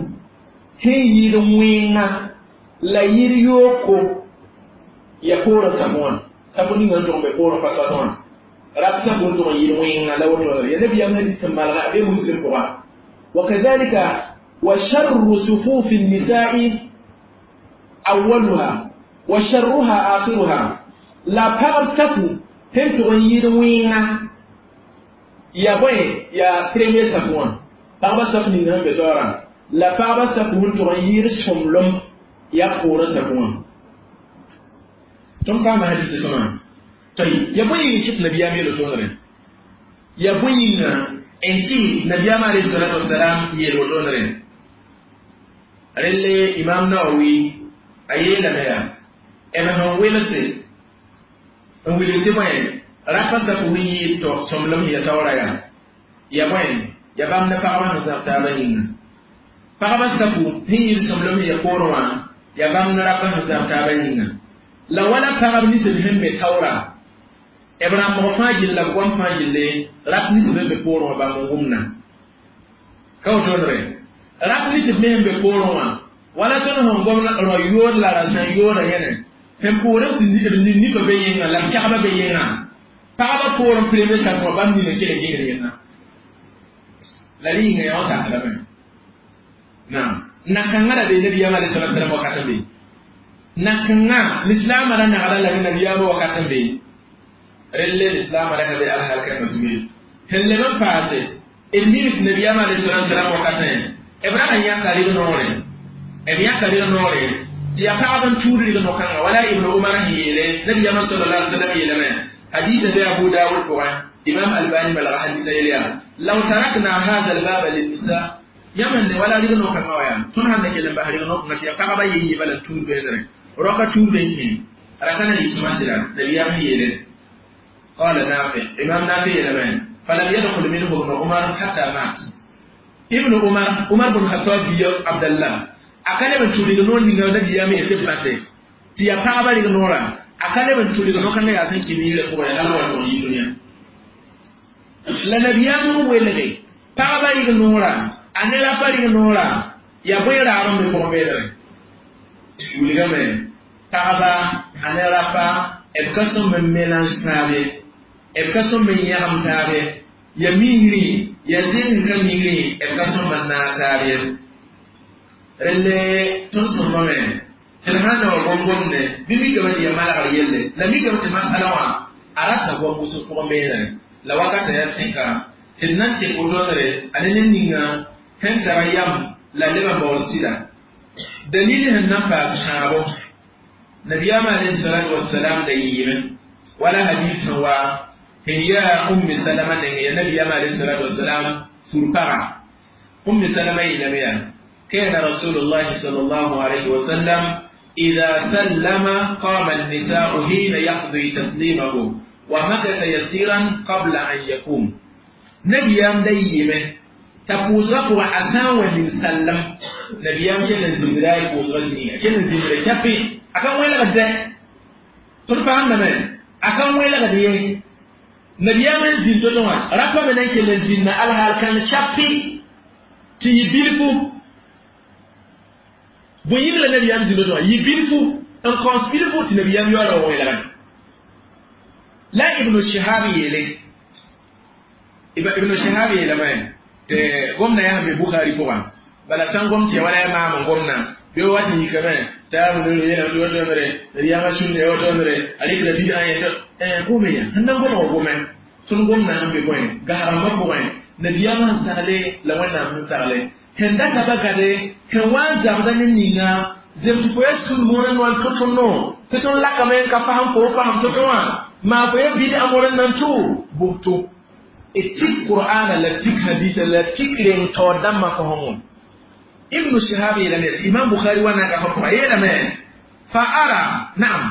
[SPEAKER 1] sẽn yɩɩd wẽnga la yɩɩd yooko ya poorẽ safu wã safu ninga n tʋg n be poorẽ pa soat wã rap safu n tʋg n yɩɩd wẽnga la woto ya nabiyaam hadis sẽn malga a be muslim pʋga وكذلك وشر صفوف النساء أولها وشرها آخرها لا pagb safu sẽn tʋg n yɩɩd wẽnga ya bõe ya premier safu wã pagba safu ning sẽn be taoorã la pagba safu sẽn tʋg n yɩɩd sõmblem ya poorẽ safu wã tõnd paama hadis sõma toy ya bõe yĩng kɩt nabiyaam yel tõodre ya bõe yĩnga n tɩ nabiyaam alayhi salatu wasalam yeel wotondre relle imam nawawi a yeelame yaa b sẽn welse n wilg tɩ bõe rapa safu sẽn yɩɩd sõmblem sẽn ya taoora yaa ya bõe ya bãmb ne pagba sẽn zãb taabã yĩnga pagba safu sẽn yɩɩd sõmblem sẽn ya poorẽ wã ya bãmb ne rapa sẽn zãb taabã yĩnga la wala pagb nins b sẽn be taoora b rãmbg fãa gill la b goam fãa gille rap nins b be poorẽ wã bãmb n wʋmna ka wotondre rap nins b me sẽn be poorẽ wã wala tõnd sẽn gom rõ yood la ra sẽn yooda yẽne sẽn poorẽ tɩ b nifa be yẽnga la b kɛgba be yẽnga pagba poorẽ premier safu wã bãmb nina kell n gẽngd yẽnga La rɩɩngã yaa wã sakrame. Naam, na-kãngã ra bee nabiyaamã alayhi salatu wasalam wakat n be. Na-kãngã lislaamã ra nagda la ne nabiyaamã wakat n be. Relle lislaamã ra ka be alhaal kãngã zugu ye. Sẽn leb n paase, d mim tɩ nabiyaamã alayhi salatu wasalam wakatẽ, b rag n yãka rɩg-noore. B yãka rɩg-noore tɩ yaa pagb n tuud rɩg-no-kãngã wala Ibn Umar sẽn yeele nabiyaamã sallallahu alaihi wasallam yeelame hadisa be Abu Dawud pʋgẽ Imam Albani malga hadisa yel yaa law tarakna hadha albaba linnisa yãmb ne wala rɩg-no-kãngã wa yaa tõnd sãn da kell n bas rɩg-no-kãngã tɩ yaa pagba yen yɩ bala n tuud beedre roka tuud n kẽ ra ka na yɩ sõma sɩda nabiyaam sẽn yeele قال نافع إمام نافع يلمان فلم يدخل منه ابن عمر حتى مات ابن عمر عمر بن الخطاب بي عبد الله akale ban tuli no ninga nabiyaam yete base tɩ yaa pagba rɩg noorã a ka leb n tʋlg no-kãngã yaa sẽn kɩ miirã pʋgẽ hal wa tʋg yɩ dũniyã la nabiyaam n welge pagba rɩg noorã a ne rapa rɩg noorã yaa bõe raar n be pʋgẽ beedre wilgame pagba a ne rapa b ka sõm n mélange taab ye b ka sõm n yãgem taab ye ya migrẽ ya zɩng ka migrẽ b ka sõm n naag taab ye relle tõnd sõmbame tɩ d sãn na wa gom-gomdẽ bɩ mikame tɩ ya malgr yelle la mikame tɩ masala wã a rata goam wʋsg pʋgẽ beene la wakata yaa sẽka tɩ d na n tek wotondre a ne ned ninga sẽn tara yam la leb n baool sɩda dalil sẽn na n paas sãabo nabiyaamã alayhi salatu wasalam da yɩɩme wala hadis sẽn wa sẽn yaa ummi salama neng ya nabiyaamã alayhi salatu wasalam fur-paga ummi salama yeelame yaa كان رسول الله صلى الله عليه وسلم إذا سلم قام النساء حين يقضي تسليمه ومكث يسيرا قبل أن يقوم نبيام ديمه تقوزغ وعسان ومن سلم نبيام كان زمراي قوزغ زينيا كان زمراي كفي أكان وين لغد ترفع من أكان وين لغد نبيام زين تتوى رفع من كان زين الهال كان شافي تيبيلفو bõe yĩng la nabiyaam zĩnd wã yɩ bilfu n kõs bilfu tɩ nabiyaam yaoola wa wẽlgame la ibnu shihab yeele ibnu shihab yeelame tɩ gomna yaa sẽn be bukhari pʋgã bala sã n gom tɩ ya wala yaa maam n gomna bɩ wa tɩ yikame t'a yeelame tɩ wotoomre nabiyaamã sũnda ya wotoomre a rɩkra bidã yẽ gome ya sẽn na n goma wa gome tõnd gomna sẽn be bõe gasrãmbã pʋgẽ nabiyaamã sẽn sagle la wẽnnaam sẽn sagle sẽn data ba gade sẽn wa n zabda ne ninga zems fo ya sũn moorã noan tʋ tõndo tɩ tõnd lakame n ka fasem fo fasem tʋ tõ wã maa fo ya bidã moorã nan tʋ buto d tik qur'ana la tik hadisa la tik reng taoor dãmbã fo sõngom ibnu shihab yeelame tɩ imam bukhari wa na ka fo pʋga yeelame fa ara naam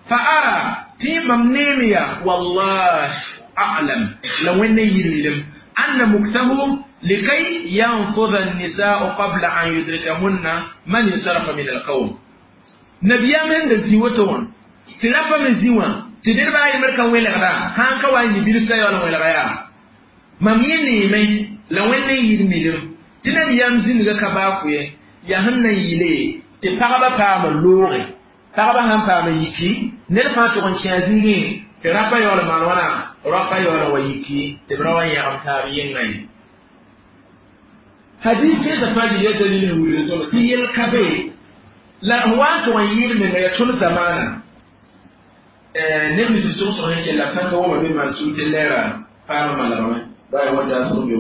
[SPEAKER 1] fa ara tɩ mam neem ya wallah a'lam la wẽnd n yir milem anna muktahu لكي ينفض النساء قبل أن يدركهن من انصرف من القوم نبيا من زيوتون تلافا من زيوان تدير بقى يمركا وين لغدا هان كوا يبيل سايا ولا وين لغايا mam yẽ neeme la wẽnd n yɩɩd milem tɩ nabiyaam zĩnga ka baa-kʋɛ yaa sẽn na n yɩle tɩ pagba paam looge pagba sãn paam yiki ned fãa tʋg n kẽ a zĩigẽ tɩ rapa yaool maan wãna rapa yaool wa yiki tɩ b ra wa yãgem taab yẽnga ye hadis kẽesã fãa yɩ ya dalil sẽn wilg tõndo tɩ yel ka be la f wa n tʋg n yɩɩd menga yaa tõnd zamaana neb nins sõgsg sẽn kell la b sãn ka woma be maan sũur tɩ lɛɛra paam malgame baa wata sʋg be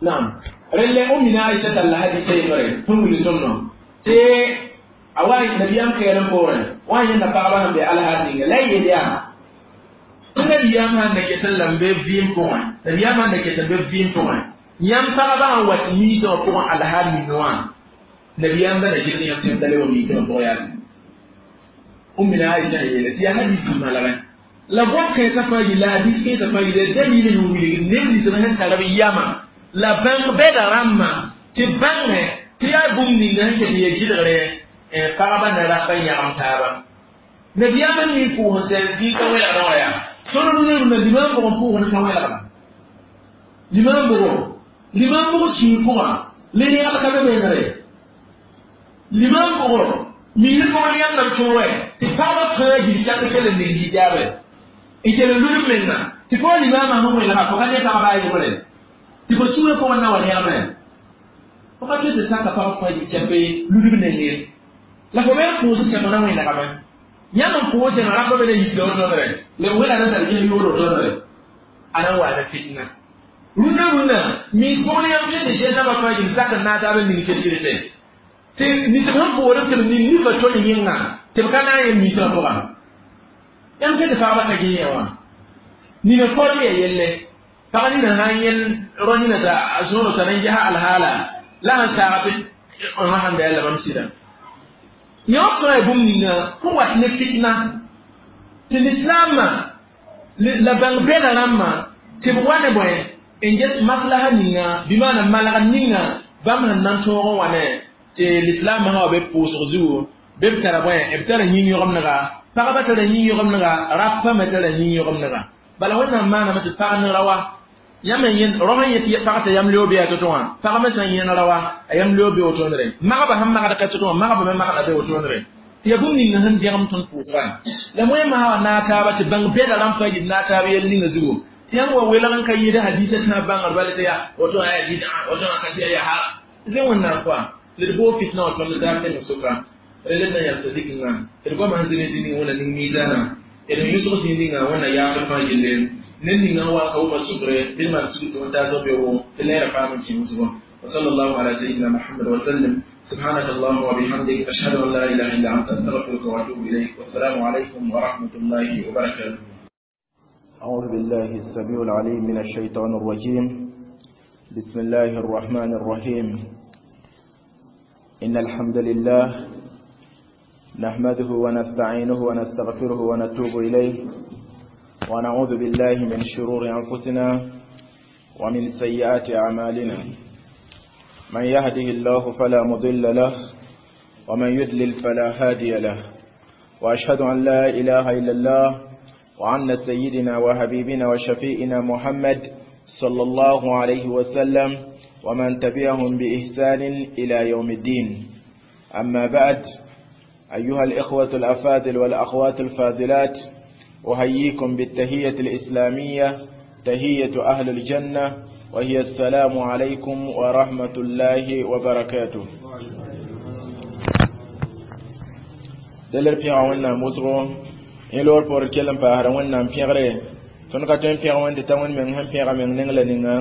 [SPEAKER 1] naam relle ummina aisha talla hadisa yembre sẽn wilg tõndõ tɩ a wa nabiyaam kɛɛl n poorẽ wa n yẽnda pagba sẽn be alhaal ninga la y yel yaa tɩ nabiyaam sãn da ket n la n be vɩɩm pʋgẽ nabiyaam sãn da ket n be vɩɩm pʋgẽ yãmb pagba sãn wa tɩ miisẽ wã pʋgẽ alhaal ning wã nabiyaam da na gɩd yãmb tɩ yãmb da le wa miisẽ wã pʋgẽ yaa ummina aisha n yeele tɩ yaa hadis sẽn malgẽ la gom kãensã fãa yɩ la hadis kãensã fãa yɩ la dalil n wilg neb nins sẽn tar b yamã la bãng bɛda rãmbã tɩ bãngẽ tɩ yaa bũmb ninga sẽn ket n ya gɩdgre pagba ne rapa yãgem taaba nabiyaam n ning pʋʋs n sɛ zĩig ka wẽlgdã wã yaa tõnd rũnã limam bʋg n pʋʋsd ka wẽlgda limam bʋgo limam bʋg sũur pʋgã le rẽgd ka be menegre limam bʋgo miir bʋg ne yãmb na b tõog tɩ pagba fãa gil sak kell n ning hijaabe n kell n lud menga Tɩ fo limaamã sẽn welga fo ka ne pagba a yembre tɩ fo sũurã pʋgẽ na wa rẽgme fo ka tõe tɩ saka pag fãa kɛpe ludb neng ye la fo me n pʋʋs sẽm na wẽnegame yãmb n pʋʋs sẽm rapa me na yikda wotone la b wẽna na tar ges yoor wotone a na n wa ne fitna rũndã rũndã mins pʋgẽ yãmb tõe tɩ ges nabã fãa gil zak n naag taab n ning kel-kelse tɩ ninsb sẽn pʋʋdb tɩ b ning nifa tol yẽnga tɩ b ka na n yẽ minsbã pʋgã yãmb tõe tɩ pagba ka gẽ yẽ wã nina form ya yelle pag nina sã n yẽl rõ nina t'a zõoro tara n ges alhaala la sẽn saag tɩ wã sãn da yaa la bãmb sɩda yõ fãa ya bũmb ninga sẽn wat ne fitna tɩ lislaamã la bãng bɛda rãmbã tɩ b wa ne bõe n ges maslaha ninga bɩ maana malg ninga bãmb sẽn na n tõog n wa ne tɩ lislaamã sã wa be pʋʋsg zugu be b tara bõe b tara yĩn-yõgemdga pagba tara yĩn-yõgemdga rapa me tara yĩn-yõgemdga bala wẽnnaam maaname tɩ pag ne rawa yãmb n yẽnd rao sẽn yet pag t'a yam leo be yaa to-to wã pag me sã n yẽn rawa a yam leo be wotonre magba sẽn magd ka to-to wã magba me magda be wotonre tɩ yaa bũmb ninga sẽn dẽgem tõnd pʋʋsgã la wẽnnaam sã wa naag taaba tɩ bãng bɛda rãmb fãa yib naag taab yɛl ninga zugu tɩ yãmb wa welg n ka yɩɩd hadiisã tãa bãngr bala tɩ yaa woto wã yaa bid'a woto wã ka tɩ yaa ha zẽ wẽnnaam pʋa la d boog fitna wã tõnd taab nemg sʋka rel na yalsa zikngã d goamã sẽn zĩ ne zĩ ninga wẽnna ning miizaanã d n yʋsg zĩig ninga wẽnna yaafd fãa gille ned ninga n wa n ka wʋma sugre bɩ d maan sugr tɩ wẽn-taas b beoogo tɩ leera paam n kẽ wʋsgo وصلى الله على سيدنا محمد وسلم سبحانك اللهم وبحمدك أشهد أن لا إله إلا أنت أستغفرك وأتوب إليك والسلام عليكم ورحمة الله وبركاته.
[SPEAKER 2] أعوذ بالله السميع العليم من الشيطان الرجيم. بسم الله الرحمن الرحيم. إن الحمد لله نحمده ونستعينه ونستغفره ونتوب إليه ونعوذ بالله من شرور أنفسنا ومن سيئات أعمالنا. من يهده الله فلا مضل له ومن يضلل فلا هادي له، وأشهد أن لا إله إلا الله وأن سيدنا وحبيبنا وشفيئنا محمد صلى الله عليه وسلم ومن تبعهم بإحسان إلى يوم الدين. أما بعد، أيها الإخوة الأفاضل والأخوات الفاضلات، أحييكم بالتهية الإسلامية، تهية أهل الجنة، وهي السلام عليكم ورحمة الله وبركاته. دلر بيغا ونا موسغو إن لور بور كلم باهر ونا بيغري تون كاتون بيغا وين تتاون من هم بيغا من نغلا نينغا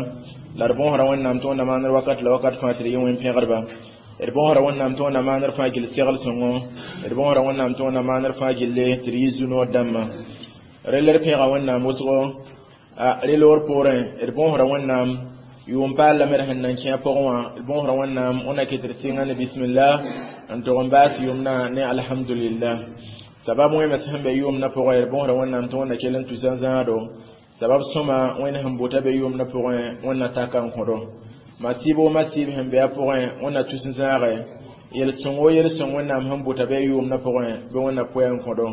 [SPEAKER 2] لاربون هرا ونا متون ما نر وقت لوقت فاتري وين بيغربا rbõosra wẽnnaam tɩ wẽnnaam maanr fãa gill segl sõngo d bõosra wẽnnaam tɩ wẽnnaam maanr fãa gille tɩ d yɩ zu-noor dãmbã rel d pẽega wẽnnaam wʋsgo reloor poorẽ d bõosra wẽnnaam yʋʋm paal lame d sẽn nan kẽ a pʋgẽ wã d bõosra wẽnnaam wẽnna ket d sɩnga ne bismillah n tog n baas yʋʋmdã ne alhamdulillah sabab wẽms sẽn be yʋʋmdã pʋgẽ d bõosra wẽnnaam tɩ wẽnna kell n tusa zãado sabab sõma wẽnd sẽn bota be yʋʋmdã pʋgẽ wẽnna taka n kõdo masiib wo masiib sẽn be a pʋgẽ wẽnna tus n zãage yel-sõng wo yel-sõng wẽnnaam sẽn bota be yʋʋmdã pʋgẽ bɩ wẽnna pʋɛ n kõdo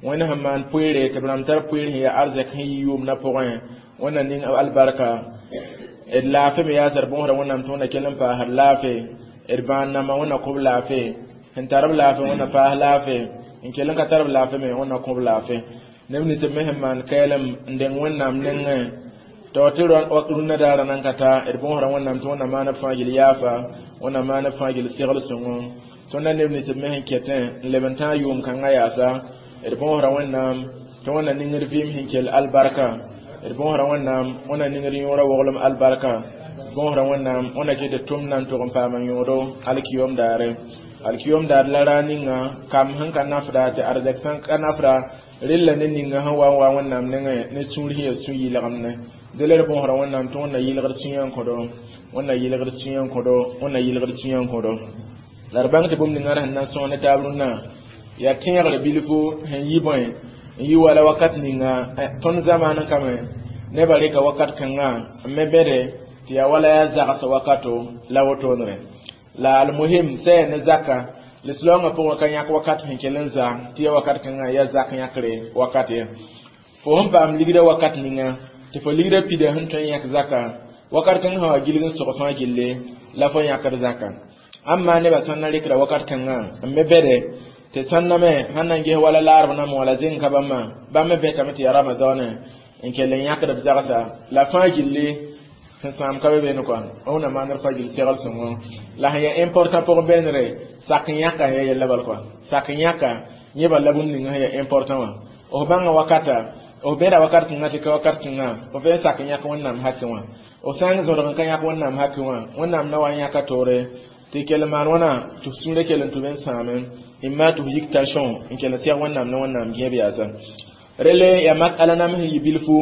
[SPEAKER 2] wẽnd sẽn maan poeere tɩ b rãmb tar poeer sẽn yaa arzɛk sẽn yi yʋʋmdã pʋgẽ wẽnna ning albarka d laafɩ me yaa d bõosda wẽnnaam tɩ wẽnna kell n paasd laafɩ d bãan nambã wẽnna kõ b laafɩ sẽn tar b laafɩ wẽnna paas laafɩ n kell n ka tar b laafɩ me wẽnna kõ b laafɩ neb nins b me sẽn maan kɛɛlem n deng wẽnnaam nengẽ tɩ tɩ rũnnã daara nan ka ta d bõosda wẽnnaam tɩ wẽnna maan b fãa gill yaafa wẽnna maan b fãa gill segl sõngo tõndã neb nins b me sẽn kɛtẽ n leb n tãag yʋʋm kãngã yaasa d bõosda wẽnnaam tɩ wẽnna ningd vɩɩm sẽn kell albarka d bõosda wẽnnaam wẽnna ningd yõora woglem albarka d bõosda wẽnnaam wẽnna ket d tʋmdã n tog n paama yõodo alkiyom daare alkiyom daar la raa ninga kam sẽn ka nafda tɩ arzɛk sẽn ka nafda rella ne ninga sẽn wa n wa wẽnnaam nengẽ ne sũur sẽn yaa sũ-yɩlgemne dela d bõosda wẽnnaam tɩ wẽnna yɩlgd sũyã n kõdo wẽnna yɩlgd sũyã n kõdo wẽnna yɩlgd sũyã n kõdo la d bãng tɩ bũmb ninga sẽn na n sõg ne taab rũnnã yaa tẽegr bilfu sẽn yi bõe n yi wala wakat ninga tõnd zamaan kame nebã rɩka wakat kãngã n me bẽde tɩ yaa wala yaa zags wakato la wotoonre la almuhim sã yaa ne zaka lislaoongã pʋgẽ ka yãk wakat sẽn kell n za tɩ yaa wakat kãngã yaa zak yãkre wakat ye fo sẽn paam ligdã wakat ninga tɩ fo ligdã pida sẽn tõe n yãk zaka wakat kãng sã wa gilg n sog fãa gille la fo yãkd zaka amma nebã sãn na rɩkda wakat kãngã n me bẽde tɩ sãn na me sãn na n ges wala laarb nambã wala zẽng ka bãmba bãmb me bẽtame tɩ yaa ramadaane N kell n yãkd b zagsa la fãa gilli sẽn sãam ka be beene kɔa wẽnnaam maandr fa gill segl sõngo la sẽn yaa important pʋgẽ beenre sak n yãka ya yella bal kɔa sak n yãka yẽ bal la bũmb ninga sẽn yaa important wã f bãnga wakata f bẽda wakat kãngã tɩ ka wakat kãngã f fẽe sak n yãk wẽnnaam haki wã f sã n zõdg n ka yãk wẽnnaam haki wã wẽnnaam na wa n yãka toore tɩ kell n maan wãna tɩ f sũurã kell n tʋm n sãame n maa tɩ f yik tension n kell n sɛg wẽnnaam ne wẽnnaam gẽeb yaasa rele ya masala nam sẽn yɩ bilfu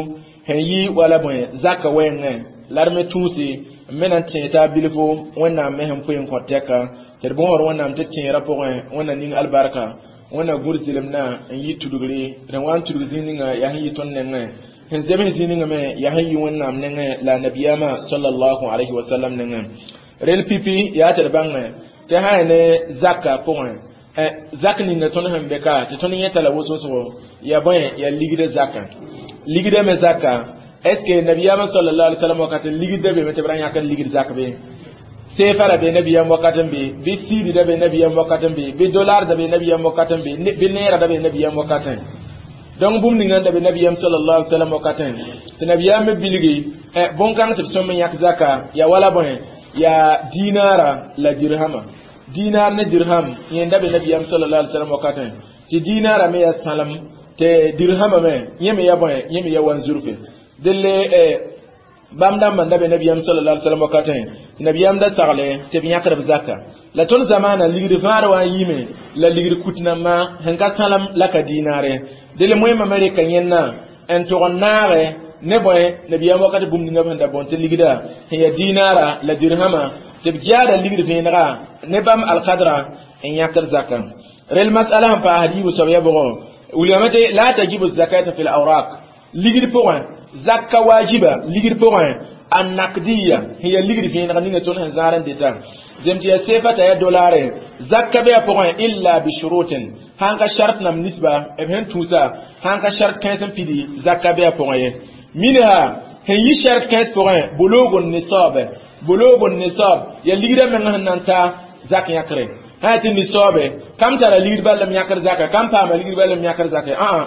[SPEAKER 2] sẽn yi wala bõe zaka wɛɛngẽ la d me tũusi n me na n tẽeg taa bilfu wẽnnaam me sẽn poe n kõt tɛka tɩ d bõosd wẽnnaam tɩ tẽerã pʋgẽ wẽnna ning albarka wẽnna gũud zɩlemdã n yi tudgre d wa n tudg zĩig ninga yaa sẽn yi tõnd nengẽ sẽn zems zĩig ninga me yaa sẽn yi wẽnnaam nengẽ la nabiyaamã sallallahu alayhi wa sallam nengẽ rel pipi yaa tɩ d bãngẽ tɩ sã ya ne zaka pʋgẽ zak ninga tõnd sẽn be ka tɩ tõnd yẽta la wʋsg ya bõe ya ligda zaka ligda me zaka est ce que nabiyaamã sallallahu alayhi wa sallam wakat ligda be me tɩ b ra yãkd ligd zak be sefa da be nabiyam wakat n be bɩ siidi da be nabiyam wakat n be bɩ dolar da be nabiyam wakat n be bɩ neera da be nabiyam wakatẽ donc bũmb ninga n da be nabiyam sallallahu alaihi wasallam wakatẽ tɩ nabiyam me bilgi bõn-kãng tɩ b sõm n yãk zaka ya wala bõe ya dinara la dirhama dinar ne dirham yẽn da be nabiyam sallallahu alaihi wasallam wakatẽ tɩ dinara me ya sãlem tɩ dirhama me yẽ me ya bõe yẽ me ya wanzurfe delle bãmb dãmbã n da be nabiyam sallallahu alaihi wasallam wakatẽ nabiyam da sagle tɩ b yãkd b zaka la tõnd zamaana ligd fãad wa n yiime la ligd kut nambã sẽn ka sãlem la ka dinaare del moẽmã me rɩka yẽnna n tʋg n naage ne bõe nabiyam wakat bũmb ninga b sẽn da bõn tɩ ligda sẽn yaa dinaara la dirhama tɩ b jaada ligd vẽenega ne bãmb alkadra n yãkd zaka rel masala sẽn paasd yiibu soab ya bʋgɔ wilgame tɩ la tajibu zakata fi lawrak ligd pʋgẽ zakka wajiba ligd pʋgẽ annakdiya sẽn yaa ligd vẽeneg ninga tõnd sẽn zãar n dɩta zem tɩ yaa sefa t'a yaa dolare zakka be a pʋgẽ illa bishurutin sãn ka shart nam nisba b sẽn tũusa sãn ka shart kãens n pidi zakka be a pʋgẽ ye minha sẽn yi shart kãens pʋgẽ bulugu nisab bulugu nisab yaa ligdã meng sẽn na n ta zak yãkre sã tɩ nisaabe kam tara ligd bal m yãkr zaka kam paama ligd bal m yãkr zaka ãa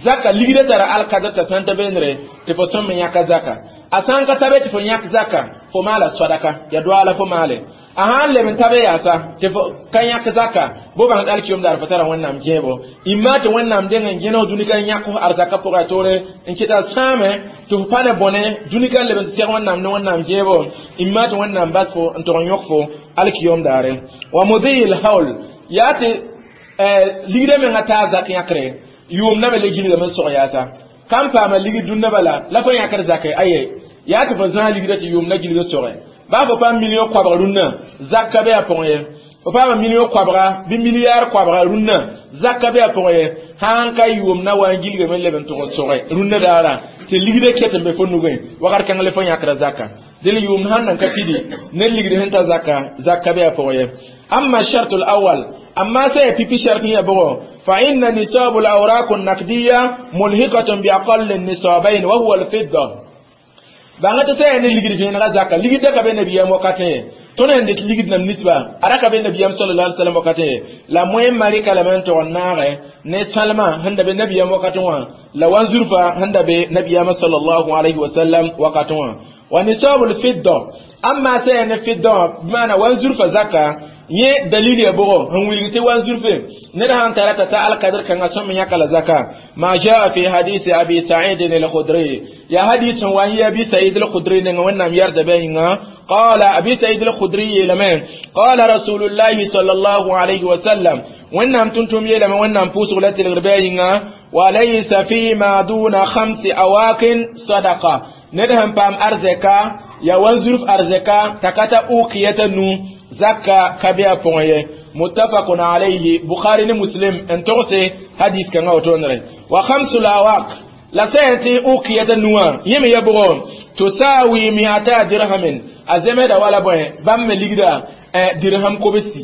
[SPEAKER 2] zaka ligdã tara alkadr t'a sãn ta beenre tɩ fo sõm n yãka zaka a sãn ka tabe tɩ fo yãk zaka fo maala sadaka ya doaala fo maale a sãn leb n tabe yaasa tɩ fo ka yãk zaka bo bãng alkiyom daar fo tara wẽnnaam gẽebo imma tɩ wẽnnaam deng n gẽneg dũni ka n yãk f arzaka pʋgã toore n kɩta sãame tɩ f pa ne bõne dũni ka n leb n tɩ seg wẽnnaam ne wẽnnaam gẽebo imma tɩ wẽnnaam bas fo n tog n yõk fo alkiyom daare wa mudil hawl yaa tɩ ligdã menga taa zak yãkre yʋʋm na me le gilgame n sog yaasa kam paama ligd dũnna bala la fo yãkr zake aye yaa tɩ fo zãag ligdã tɩ yʋʋm na gilg n soge baa fo paam million koabg rũnnã zakka be a pʋgẽ ye fo paama million koabga bɩ milliard koabga rũnnã zakka be a pʋgẽ ye sãn ka yʋʋm na wa n gilgame n leb n tʋg n soge rũnnã daara tɩ ligdã ket n be fo nugẽ wakat kãng le fo yãkra zaka dɩl yʋʋm sãn nan ka pidi ne ligd sẽn ta zaka zakka be a pʋgẽ ye amma shartu alawal amma sai pipi shartin ya bugo fa inna nisabu al-awraq an-naqdiyya mulhiqatun bi aqall an-nisabayn wa huwa al-fidda banga ta sai ne ligid fi na zaka ligid da ka be nabiyam wakate to ne ndet ligid nam nisba araka be nabiyam sallallahu alaihi wasallam wakate la moyen mari kala men to naare ne salma handa be nabiyam wakate wa la wanzurfa handa be nabiyam sallallahu alaihi wasallam wakate wa wa nisabul fidda amma sai ne fidda bimana wanzurfa zaka yẽ dalil ya bʋgɔ sẽn wilg tɩ wanzurfe ned sãn tara t'a ta alkadr kãngã sõm yãka la zaka ma jaa fi hadisi abi sa'id al-khudri ya hadis sẽn wa n yɩ abi sa'id al-khudri nengã wẽnnaam yɛrda bɩ a yĩnga qala abi sa'id al-khudri yeelame qala rasulullahi sallallahu alayhi wa sallam wẽnnaam tʋm-tʋm yeelame wẽnnaam pʋʋsg la tɩlgr bɩ a yĩnga walaysa fima duna khamsi awakin sadaqa ned sẽn paam arzɛka ya wanzurf arzɛka t'a ka ta ukiyata nu zakka ka be a pʋgẽ ye muttafaqun alayhi bukhari ne muslim n togse hadis kãngã wotonre wa khamsul awaq la sã tɩ ukiyata nuwã yẽ me ya bʋgɔ tusawi miata dirhamin a zemsda wala bõe bãmb me ligda dirham kobsi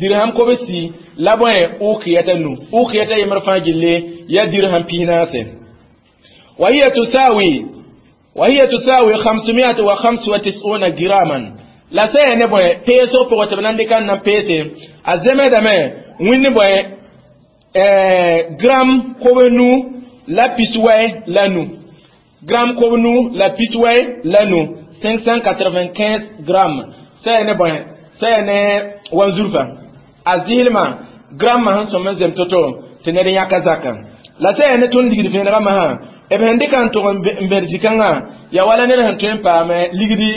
[SPEAKER 2] dirham kobsi la bõe ukiyata nu ukiyata yembr fãa gilli ya dirham pis-naase wa hiya tusawi wa hiya tusawi khamsumiat wa khams wa tis'una giraman la sã ne bõe peesg pʋgẽ tɩ b na n dɩka n na n peese a zemsdame wĩnd bõe gram kob nu la pis-wɛ la nu gram kob nu la piswɛ la nu cinq cent quatre-vingt-quinze grammes sã ne bõe sã ne wanzurfa a zɩɩlmã grammã sẽn sõm n zem to-to tɩ ned yãka zaka la sã ne tõnd ligd vẽenegã masã b sẽn dɩka n tʋg n bẽd zĩ-kãngã ya wala ned sẽn tõe n paam ligdi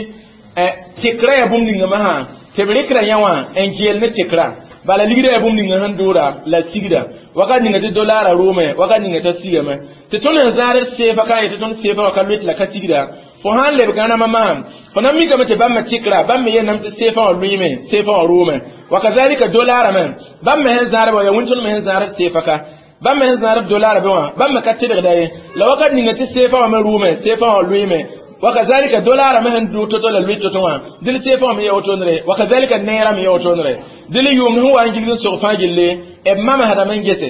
[SPEAKER 2] tɩkrã yaa bũmb ninga masã tɩ b rɩkra yã wã n geel ne tɩkrã bala ligda yaa bũmb ninga sẽn dʋʋra la sigda wakat ninga tɩ dolara rʋʋme wakat ninga t'a sigame tɩ tõnd sẽn zãad seefa ka yetɩ tõnd seefa wã ka loet la ka sigda fo sãn leb gãnamã masã fo na mikame tɩ bãmb me tɩkra bãmb me yenname tɩ seefã wã lʋɩme seefã wã rʋʋme wakazalika dolara me bãmb me sẽn zãadba yaa wẽn tõnd me sẽn zãad seefa ka bãmb me sẽn zãad dolara be wã bãmb me ka tɩbgda ye la wakat ninga tɩ seefã wã me rʋʋme seefã wã lʋɩme wakazalika dolara me sẽn dʋ to-to la lʋɩ to-to wã dɩl seefã wã me ya wotondre wakazalika neerã me ya wotondre dɩl yʋʋmd sẽn wa n gilg n sog fãa gilli b mamsdame n gese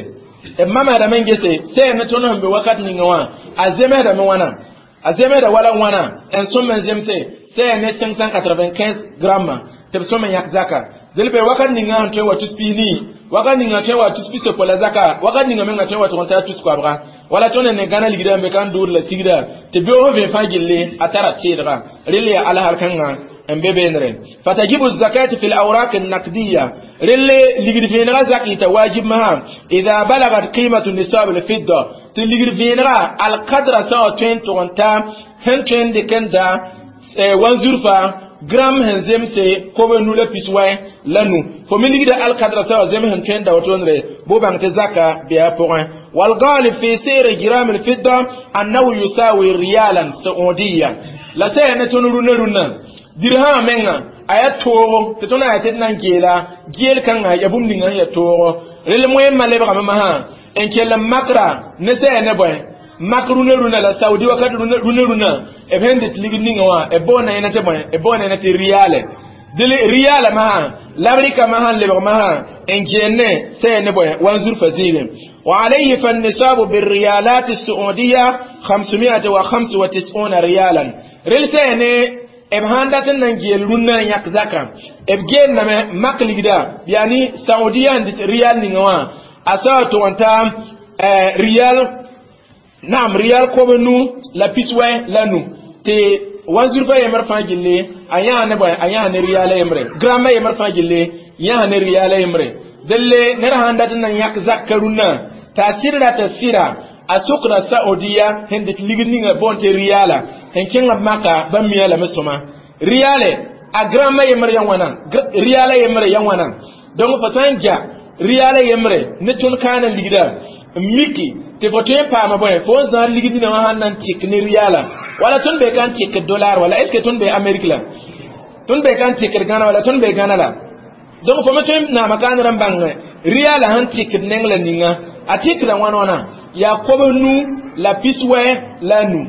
[SPEAKER 2] b mamsdame n gese sã ne tõnd sẽn be wakat ninga wã a zemsdame wãna a zemsda wala wãna n sõm n zemse sã ne cinq cent quatre-vingt-quinze grammes tɩ b sõm n yãk zaka dɩl be wakat ninga sẽn tõe wa tus piis wakat ninga tõe wa tus pis-yopoe la zaka wakat ninga menga tõe wa tʋg n taa tus koabga wala tõnd ne gãna ligdã n be ka n dʋʋd la sigda tɩ beoog sẽn vẽ fãa gilli a tara tɩɩdga rel yaa alsar kãngã n be beenre فتجب الزكاة في الأوراق النقدية رل ligd vẽenegã zak yita wajib masã إذا بلغت قيمة نصاب الفضة tɩ ligd vẽenegã alkadra sã wa tõe n tʋg n ta sẽn tõe n dɩk n da wanzurfa gram sẽn zemse kob nu la pis-wɛ la nu fo me ligda alkadra sã wa zem sẽn tõe n da wotondre bʋ bãng tɩ zaka bɩ a pʋgẽ والغالب في سعر جرام الفضة أنه يساوي ريالا سعوديا la sã ne tõnd rũnã rũnã dirhama menga a yaa toogo tɩ tõnd a yaa tɩ d na n geela geel kãnga ya bũmb ninga sẽn yaa toogo rel moẽmã lebgame masã n kell n makra ne sã yaa ne bõe mak rũnã rũnã la saudi wakat rũnã rũnã b sẽn dɩt ligd ninga wã b boonda yẽna tɩ bõe b boonda yẽna tɩ riyaale dɩl riyaala masã la b rɩka masã n lebg masã n geenne sã yaa ne bõe wanzurfa zĩigẽ وعليه فالنصاب بالريالات السعودية خمسمائة وخمس وتسعون ريالا rel sã ne b sãn dat n nan geel rũnnã n yãk zaka b geelame mak ligda yani saudiya n dɩt riyal ninga wã a sa wa tʋg n ta riyal naam riyal kob nu la pis-wɛ la nu tɩ wanzurfã yembr fãa gilli a yãa ne bõe a yãa ne riyala yembre gramma yembr fãa gilli yãa ne riyala yembre delle ned sãn dat n nan yãk zakka rũnnã t'a sɩd rata sɩra a sokda saudiya sẽn dɩt ligd ninga boond tɩ riyala sẽn kẽngã maka bãmb mia lame sõma riyale a gramma yembr ya wãna riyala yembre ya wãna donc fo sã n ja riyala yembre ne tõnd kaana ligda n miki tɩ fo tõe n paama bõe fo n zãad ligd nina wã sãn na n tɩk ne riyala wala tõnd be ka n tɩkd dollar wala est ce que tõnd be amérique la tõnd be ka n tɩkd gãna wala tõnd be gãna la donc fo me tõe n naama kaanr n bãng riyala sẽn tɩkd neng la ninga a tɩkda wãn wãna yaa kob nu la pis-wɛ la nu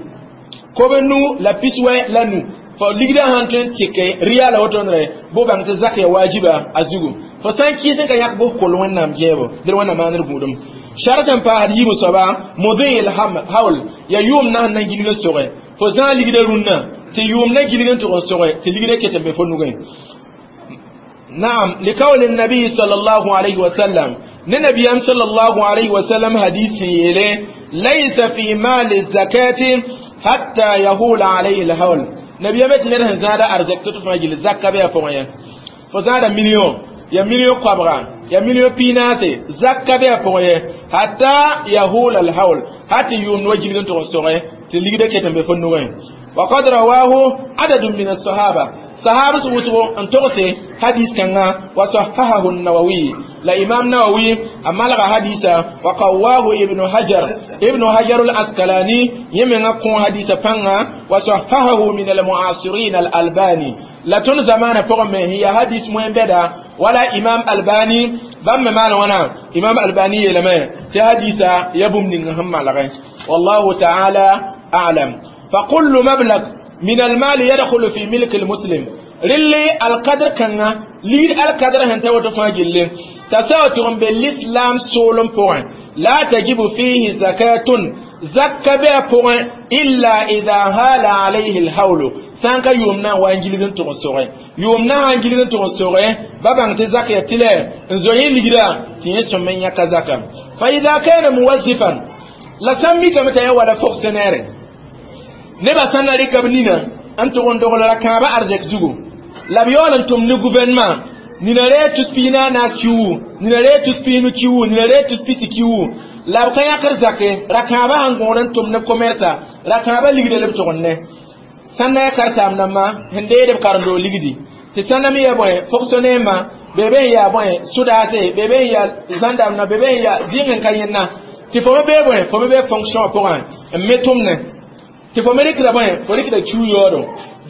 [SPEAKER 2] kob nu la pis-wɛ la nu fo ligdã sãn tõe n tɩke riyala wotondre bʋ bãng tɩ zak ya waajiba a zugu fo sã n kɩɩs n ka yãk bʋs kol wẽnnaam gɛɛbo dɩl wẽnnaam maandr gũudum shart n paasd yiib soaba مضي الحول ya yʋʋm na sẽn na n gilg n soge fo zãag ligdã rũnnã tɩ yʋʋm na gilg n tʋg n soge tɩ ligdã ket n be fo nugẽ نعم لقول النبي صلى الله عليه وسلم نبي صلى الله عليه وسلم حديث يلي ليس في مال الزكاة حتى يهول عليه الحول نبي مت نره زاد أرزق تطفى جل زكاة بيا فويا فزاد مليون يا مليون قبرا يا مليون بيناتي زكاة بيا فويا حتى يهول الحول حتى يوم نوجه تغسره تلقي كتن بفنوين وقد رواه عدد من الصحابة صحابة وسو أن تغسي حديث كان وصححه النووي لا إمام نووي أمالغ حديثا وقواه ابن حجر ابن حجر العسقلاني يمن قون حديث فانا وصححه من المعاصرين الألباني لا تون زمان فقم هي حديث مهم بدا ولا إمام ألباني بام مال وانا إمام ألباني لما في حديثا يبم نهم والله تعالى أعلم فكل مبلغ من المال يدخل في ملك المسلم رلي القدر كان لير القدر هنتا وتفاجل تساوتهم بالإسلام سولم بوين لا تجب فيه زكاة زكاة بها بوين إلا إذا هال عليه الحول سانكا يومنا وانجلين تغسوري يومنا وانجلين تغسوري بابا انت زكاة تلا نزوين لجدا تنسو من يكا زكاة فإذا كان موظفا لا سميك متى ولا fonctionnaire Nebã sã n na rɩka b nina n tʋg n dogl ra-kãabã arzɛk zugu la b yaool n tʋm ne gouvernement nina ree tus piig na a naas kiuugu nina ree tus piinu kiuugu nina ree tus pisi kiuugu la b ka yãkd zake ra-kãabã sẽn gõod n tʋm ne commersa ra-kãabã ligda la b tʋgend ne sãn na ya karen-saam dãmbã sẽn deed b karen-doog ligdi tɩ sãn na me ya bõe fonctionnaire bee be n yaa bõe sodaase bee be n yaa gendarme bee be n yaa zɩng n ka yẽnna tɩ fo me bee bõe fo me bee fonction pʋgã n me tʋmne tɩ fo me rɩkda bõe fo rɩkda kiu yaoodo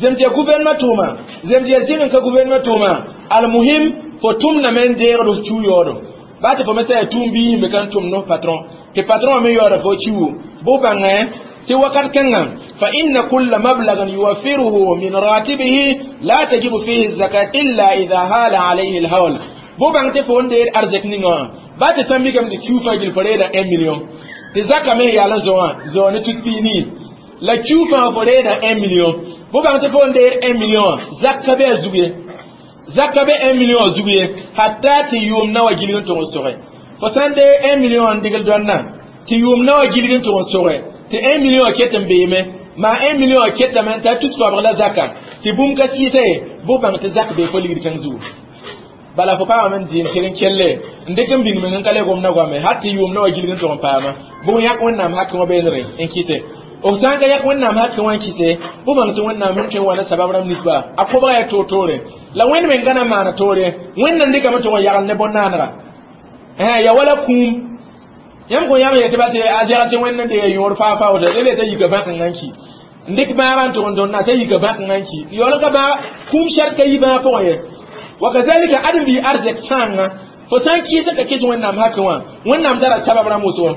[SPEAKER 2] zem tɩ ya gouvernement tʋʋma zem tɩ ya zɩng n ka gouvernement tʋʋma almuhim fo tʋmdame n deegd f kiu yaoodo baa tɩ fo me sã ya tʋʋm biis me kan tʋm no patron tɩ patron me yaooda fo kiu bʋ bãngẽ tɩ wakat kẽngã fa inna kulla mablagan yuwaffiruhu min ratibihi la tajibu fihi zakat illa idha hala alayhi alhawl bʋ bãng tɩ fo n deed arzɛk ninga wã baa tɩ sã n mikame tɩ kiu fãa gil fo reeda un million tɩ zaka me yaal n zo wã zao ne tus piig nii la kiu fãa fo reeda un million bʋ bãng tɩ fo n deed un million wã zaka be a zug ye zaka be un million wã zug ye hatta tɩ yʋʋm na wa gilg n tʋg n soge fo sã n dee un million n dɩgl dõnna tɩ yʋʋm na wa gilg n tʋg n soge tɩ un million ket n beeme maa un million ketame t'a tus koabg la zaka tɩ bũmb ka sɩɩsa ye bʋ bãng tɩ zak bee fo ligd kãng zugu bala fo paamame n dɩ n tɩg n kelle n dɩk n bĩng meng n ka le gomda goame hat tɩ yʋʋm na wa gilg n tʋg n paama bʋg yãk wẽnnaam hakẽ wã beenre n kɩse b sã n ka yãk wẽnnaam hakẽ wã n kɩse bʋ bãng tɩ wẽnnaam sẽn tõe n wa ne sabab rãmb nisba a kobga yaa toor-toore la wẽnd meng ka na n maana toore wẽnd n dɩkame tʋg n yagl ne bõn-naanega ya wala kũum yãmb kõ yãmb yetɩ ba tɩ a zɛg tɩ wẽnd n deega yõor faa faa woto rel t'a yika bãkengã n ki n dɩk bãagã n tʋg n tõnd t'a yika bãkengã n ki yaool n ka bãag kũum sɛrt ka yi bãag pʋgẽ ye wa kazalika ãdem-biig arzɛk sãangã fo sã n kɩɩs n ka kɩs wẽnnaam hakẽ wã wẽnnaam tara sabab rãmb wʋsgo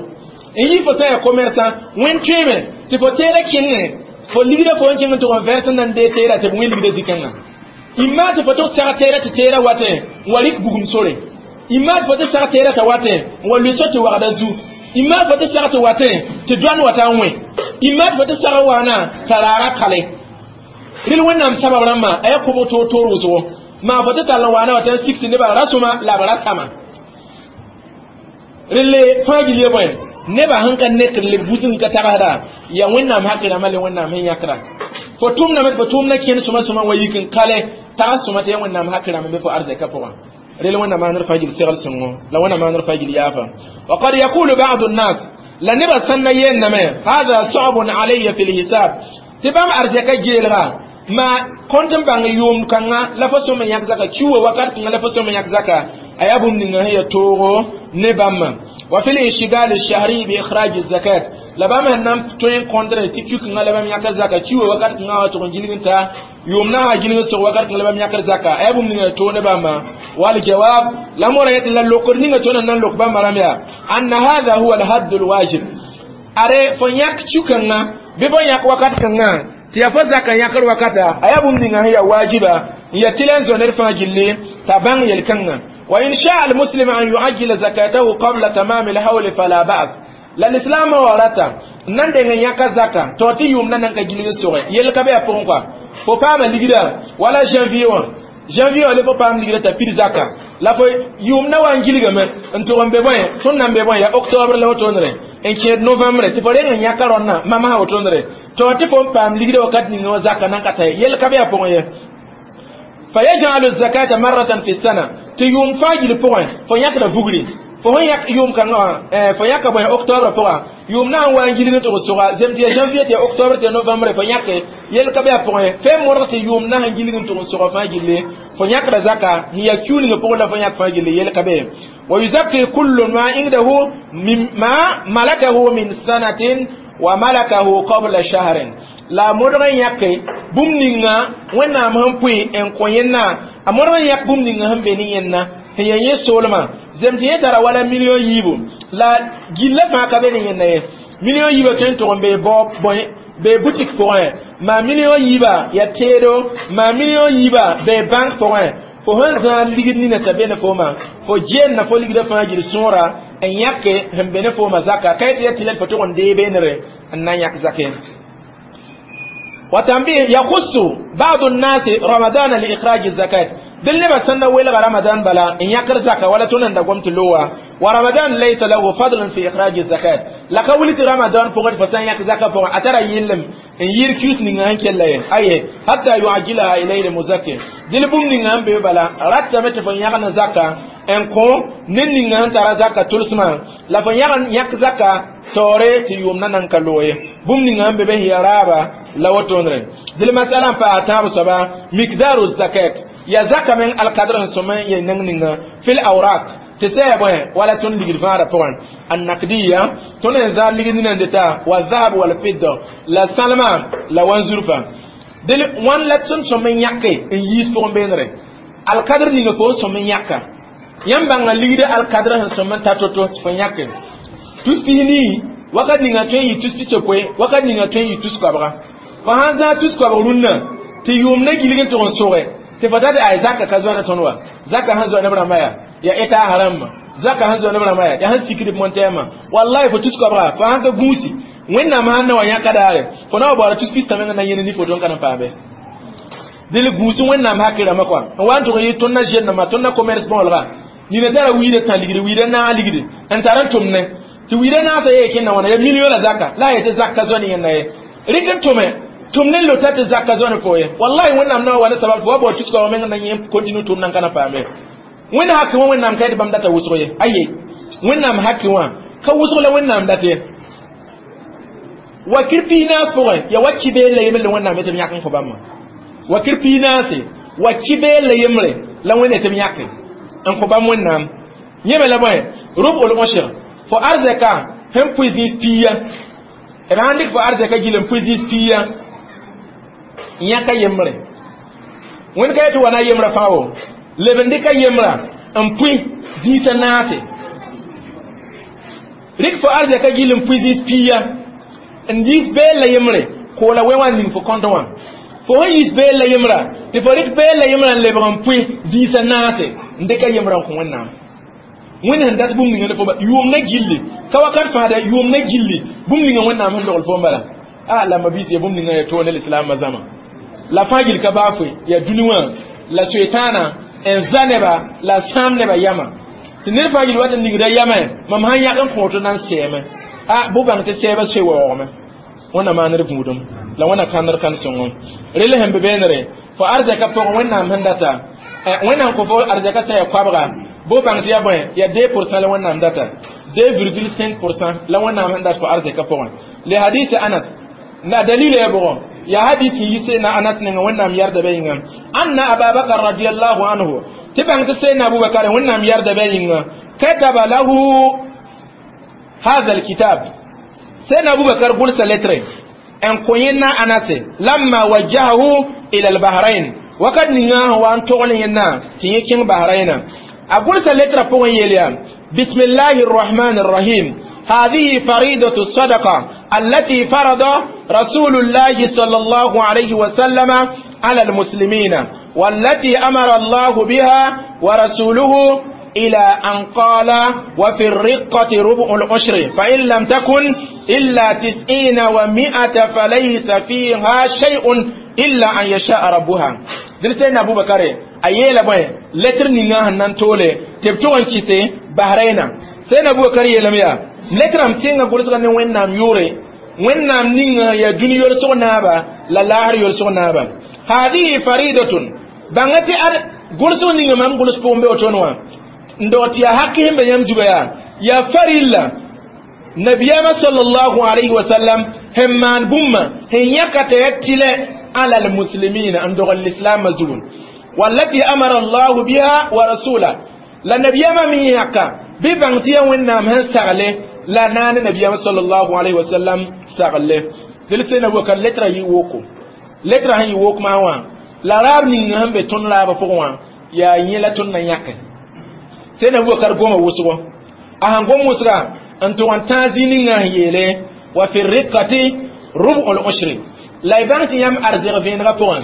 [SPEAKER 2] n yi fo sã n yaa commerçant wẽnd tõeeme tɩ fo teeda kẽngẽ fo ligda fo n kẽng n tʋg n vɛrs n na n dee teera tɩ b wẽ ligda zĩ-kãngã imma tɩ fo tʋg seg teera tɩ teera watẽ n wa rɩk bugum sore imma tɩ fo tɩ seg teera t'a watẽ n wa lʋɩ so tɩ wagda zu imma fo tɩ seg tɩ watẽ tɩ doan wata n wẽ imma tɩ fo tɩ seg n waana t'a raaga kale rel wẽnnaam sabab rãmbã a yaa kobg toor-toor wʋsgo maa fo tɩ tall n waana wa t'a n sig tɩ nebã rasõma la b ra tama relle fãa gil ya bõe nebã sẽn ka nekd leb busg ka tagsda ya wẽnnaam hakẽ rãmbã le wẽnnaam sẽn yãkra fo tʋmdame tɩ fo tʋʋmda kẽnd sõma sõma wa yik n kale tags sõma tɩ ya wẽnnaam hakẽ rãmb be fo arzɛka pʋgã rel wẽnnaam maanr fãa gil segl sõngo la wẽnnaam maanr fãa gil yaafa وقد يقول بعض الناس la nebã sãn na yeelname هذا صعب علي في الحساب tɩ bãmb arzɛka geelga ma kõnt n bãng yʋʋm kãngã la fo sõm n yãk zaka kiuwa wakat kãngã la fo sõm n yãk zaka a yaa bũmb ninga sẽn ya toogo ne bãmbã وفي الانشغال الشهري بإخراج الزكاة la bãmb sẽn na n tõe n kõndre tɩ kiu-kãngã la bãmb yãkr zaka kiuwa wakat kãngã wa tʋg n gilg n ta yʋʋm na sã gilg n sog wakat kãngã la bãmb yãkr zaka a yaa bũmb ninga ya toog ne bãmbã والجواب la mora yetɩ la lokd ninga tõnd n na n lok bãmba rãmb yaa أن هذا هو الحد الواجب are fo yãk kiu-kãngã bɩ fo yãk wakat kãngã tɩ yaa fo zaka yãkr wakata a yaa bũmb ninga sẽn yaa waajiba n ya tɩ la n zõ ned fãa gilli t'a bãng yel-kãngã وإن شاء المسلم أن يعجل زكاته قبل تمام الحول فلا بأس la l'islam warata nan de yãka zaka to tɩ yʋʋm na nan ka gilg soge yel ka be a pʋgẽ kɔa fo paama ligda wala janvier wã janvier wã le fo paam ligda t'a pid zaka la fo yʋʋm na wa n gilgame n tʋg n be bõe tõnd nan be bõe ya octobre la wotondre n kẽed novembre tɩ fo reng n yãka rõnna mama wotondre to tɩ fo n paam ligda wakat ninga wã zaka nan ka ta ye yel ka be a pʋgẽ ye فيجعل الزكاة مرة في السنة tɩ yʋʋm fãa gil pʋgẽ fo yãkda vugri fo sẽn yãk yʋʋm kãngã wã fo yãka bõe octobre pʋga yʋʋm na n wa n gilg n tʋg soga zem tɩ ya janvier tɩ ya octobre tɩ ya novembre fo yãke yel ka be a pʋgẽ fẽe modg tɩ yʋʋm na sẽn gilg n tʋg n soga fãa gilli fo yãkda zaka sẽn yaa kiu ning pʋgẽ la fo yãk fãa gilli yel ka be ويزكي كل ما عنده مما ملكه من سنة وملكه قبل شهر la modg n yãke bũmb ninga wẽnnaam sẽn pʋɩ n kõ yẽnna a modg n yãk bũmb ninga sẽn be ne yẽnna sẽn yaa yẽ soolmã zem tɩ yẽ tara wala million yiibu la gilla fãa ka be ne yẽnna ye million yiibã tõe n tʋg n bee bao bõe bee boutique pʋgẽ maa million yiibã ya teedo maa million yiibã bee banque pʋgẽ fo sẽn zãad ligd nina t'a be ne fooma fo geenna fo ligdã fãa gil sõora n yãke sẽn be ne fooma zaka ka yetɩ ya tɩ la fo tʋg n dee beenere n na n yãk zake وتنبيه يخص بعض الناس رمضان لإخراج الزكاة دل نبا سنة ويلغ رمضان بلا إن يقر زكاة ولا تنن دقوم تلوى ورمضان ليس له فضل في إخراج الزكاة لك ولد رمضان فقد فسان يك زكاة فقد أترى يلم N yɩɩr kius ninga sẽn kell ye aye hatta yuajilaha ilayhi muzakki dɩl bũmb ninga sẽn be bala ratame tɩ fo yãgn zaka n kõ ned ninga sẽn tara zaka tʋlsmã la fo yãgn yãk zaka taoore tɩ yʋʋm na nan ka loog ye bũmb ninga sẽn be be sẽn ya raaba la wotondre dɩl masala n paas tãab soaba mikdaru zakat ya zaka meng alkadr sẽn sõm n ye neng ninga fil awrak tɩ sã ya bõe wala tõnd ligd fãada pʋgẽ annakdiya tõnd n zaad ligd nina n deta wa zahab wal fidda la sãlma la wanzurfa dɩl wãn la tõnd sõm n yãke n yiis pʋgẽ beendre alkadr ninga fo n sõm n yãka yãmb bãnga ligd alkadr sẽn sõm n ta to-to tɩ fo yãke tus pis-nii wakat ninga tõe n yɩ tus pis-yopoe wakat ninga tõe n yɩ tus koabga fo sãn zãag tus koabg rũnnã tɩ yʋʋm na gilg n tʋg n sʋge tɩ fo ta tɩ ay zaka ka zoa ne tõnd wa zaka sẽn zoa neb rãmbã yaa ya eta haram zaka sẽn zoa neb rãmbã yaa yaa sẽn sikd montɛɛmã wallahi fo tus koabga fo sãn ka gũusi wẽnnaam sãn na wa yãka daare fo na wa baoora tus pistã meng na yẽne ni foto n ka na n paame dɩl gũus wẽnnaam hakɩ rãmbã kɔa n wa n tʋg n yɩ tõnd na zennãmã tõnd na commerce bõolga nina tara wiida tã ligdi wiida naag ligdi n tar n tʋmne tɩ wiida naasã yee kẽnda wãna ya million la zaka la a yetɩ zaka zoa ne yẽnda ye rɩk n tʋme tʋm ne lota tɩ zaka zoa ne fo ye wallahi wẽnnaam na wa wa ne sabab tɩ wa bao tus koabg meng na yẽ continue tʋm nan ka na paame wẽnd hakɩ wã wẽnnaam ka yetɩ bãmb data wʋsg ye aye wẽnnaam hakɩ wã ka wʋsg la wẽnnaam dat ye wakir piinaas pʋgẽ ya wa kibeel la yembre la wẽnnaam yetɩ b yãk n kõ bãmba wakir piinaase wa kibeel la yembre la wẽnd yetɩ b yãke n kõ bãmb wẽnnaam yẽme la bõe rub'ul ushr fo arzɛka sẽn pʋɩ zĩis piiya b sãn dɩk fo arzɛka gil n pʋɩ zĩis piiya n yãka yembre wẽnd ka yetɩ wa na yembrã fãa wo leb n dɩka yembrã n pʋɩ zĩisã naase rɩk fo arzɛka gil n pʋɩ zĩis piiya n yiis beel la yembre koola wɛ wã n ning fo kõnt wã fo sẽn yiis beel la yembrã tɩ fo rɩk beel la yembrã n lebg n pʋɩ zĩisã naase n dɩka yembrã n kõ wẽnnaam wẽnd sẽn dat bũmb ninga ne fo yʋʋm na gilli ka wakat fãa da yʋʋm na gilli bũmb ninga wẽnnaam sẽn dogl fo n bala a la mabiis ya bũmb ninga ya toog ne lislaamã zãma la fãa gill ka baa foe ya dũni wã la soetaana n za neba la sãam neba yama tɩ ned fãa gill wat n ningda yamẽ mam sãn yãk n kõoto na n sɛɛme a bʋ bãng tɩ sɛɛbã soe waoogame wẽnna maaned gũudum la wẽnna kãndr kãn-sõngo rel sẽn be beenere fo arzɛka pʋgẽ wẽnnaam sẽn data wẽnnaam kõ fo arzɛka sã ya koabga bʋ bãng tɩ ya bõe ya deux pour cent la wẽnnaam data deux virgule cinq pour cent la wẽnnaam sẽn dat fo arzɛka pʋgẽ le hadis anas la dalila ya bʋgɔ ya hadis n yi sẽna anas ninga wẽnnaam yarda bɛ yĩnga anna ababakar radiallahu anhu tɩ bãng tɩ sẽna abubakar wẽnnaam yarda bɛ yĩnga kataba lahu هذا الكتاب سيدنا أبو بكر قلت lettre أن كوينا أنس لما وجهه إلى البحرين وقد نينا وأن تغنينا تيكين بحرين أقول lettre بوين يليا بسم الله الرحمن الرحيم هذه فريضة الصدقة التي فرض رسول الله صلى الله عليه وسلم على المسلمين والتي أمر الله بها ورسوله إلى أن قال وفي الرقة ربع العشر فإن لم تكن إلا تسعين ومائة فليس فيها شيء إلا أن يشاء ربها دل سيدنا أبو بكر أيلا بوي lettre ninga hanan tole tebto an kite bahraina سيدنا أبو بكر يلميا lettre am tinga gulsga ne wennam yure wennam ninga ya duni yol naaba la lahar yol naaba هذه فريضة bangati ar gulsg ninga mam guls pombe otonwa n dog tɩ yaa hak sẽn be yãmb zuga yaa yaa farilla nabiyama sallallahu alayhi wa sallam sẽn maan bũmba sẽn yãka t'a ya tɩlɛ ala almuslimina n dogl lislaamã zugu wallati amara allahu biha wa rasula la nabiyama me yãka bɩ bãng tɩ yaa wẽnnaam sẽn sagle la naane nabiyama sallallahu alayhi wa sallam sagle dɩl sẽn na waka letra yɩ woko letra sẽn yɩ wok maa wã la raab ninga sẽn be tõnd raabã pʋgẽ wã yaa yẽ la tõnd na yãke sẽn Abubakar goma wʋsgo a sãn gom wʋsga n tʋg n tãag zĩ ninga sẽn yeele wa fi riqati rub'ul ushri la y bãng tɩ yãmb arzɛg vẽenegã pʋgẽ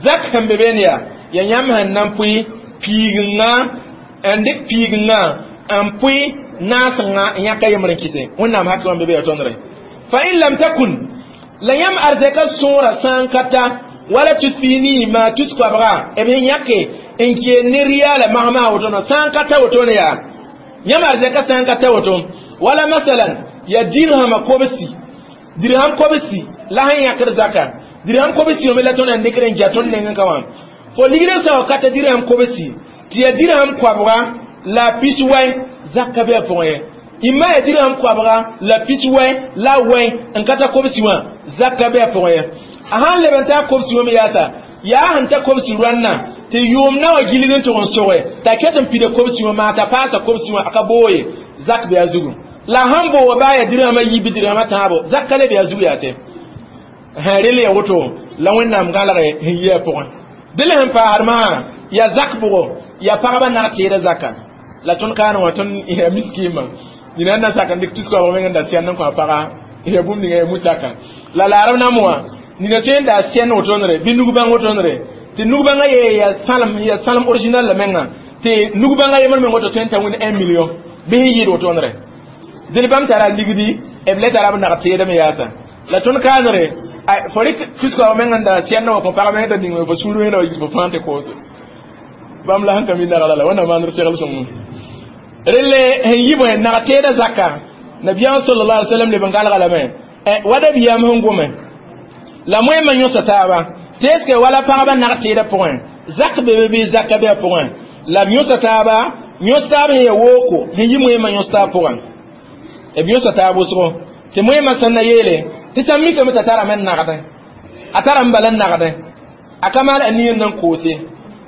[SPEAKER 2] zak sẽn be beene yaa ya yãmb sẽn na n pʋɩ piigenga n dɩk piigenga n pʋɩ naasengã n yãka yembr n kɩse wẽnnaam hakɩ wã be be ya tõndre fa in lam takun la yãmb arzɛka sõora sã n ka ta wala tus piini maa tus koabga b sẽn yãke n keen ne riyaala magsma woto no sã n ka ta woto ne yaa yãmb arzɛka sã n ka ta woto wala masalan ya dirhama kobsi dirham kobsi La sẽn yãkd zaka dirham kobsi wã me la tõnd na n dɩkd n ja tõnd nengẽ ka wã fo ligd n sa wa ka t'a dirham kobsi tɩ ya dirham koabga la pis wɛ zaka bɩ a pʋgẽ ye imma ya dirham koabga la pis wɛ la wɛ n ka ta kobsi wã zaka bɩ a pʋgẽ ye a sãn leb n taa kobsi wã me yaasa yaa sẽn ta kobsi rõanna tɩ yʋʋm na wã gilg n tʋg n soge t'a ket n pida kobsi wã maa t'a paasa kobsi wã a ka boo ye zak bɩ a zugu la sãn booga baa ya dirhama yiib dirhama tãabo zak ka le bɩ a zug yaa tɛ sẽn rel ya woto la wẽnnaam gãlge sẽn yi a pʋgẽ dẽl sẽn paasd maa ya zak bʋgo ya pagba nag teeda zaka la tõnd kaane wã tõnd ya miskiimã nina na sak n dɩk tus-koabg meng n da sɛnd n kõ a paga ya bũmb ninga ya musaka la laarb nam wã nina tõe n da sɛnd wotondre bɩ nug-bãng wotondre tɩ nug-bãngã ye ya sãlem ya sãlem original la menga tɩ nug-bãngã yembr meng woto tõe n ta wĩnd un million bɩ sẽn yɩɩd wotondre dẽl bãmb tara ligdi b le tara b nag teedame yaasa la tõnd kaanere fo rɩk tus-koabg meng n da sɛnd wã kõ pag meng t'a ning fo sũur wẽnda wa yis fo fãa tɩ koose bãmb la sẽn ka mi nagla la wẽnnaam maandr segl sõngo relle sẽn yi bõe nag teeda zaka nabiyaam sallallahu alaihi wasallam leb n galga lame wa dabiyaam sẽn gome la moẽmã yõsa taaba tɩ est ce que wala pagba nag teeda pʋgẽ zak be be bɩ zaka be a pʋgẽ la b yõsa taaba yõs taab sẽn ya wooko sẽn yi moẽmã yõs taab pʋgẽ b yõsa taab wʋsgo tɩ moẽmã sẽn na yeele tɩ sãn mikame t'a tarame n nagdẽ a tara n bala n nagdẽ a ka maan a nin n koose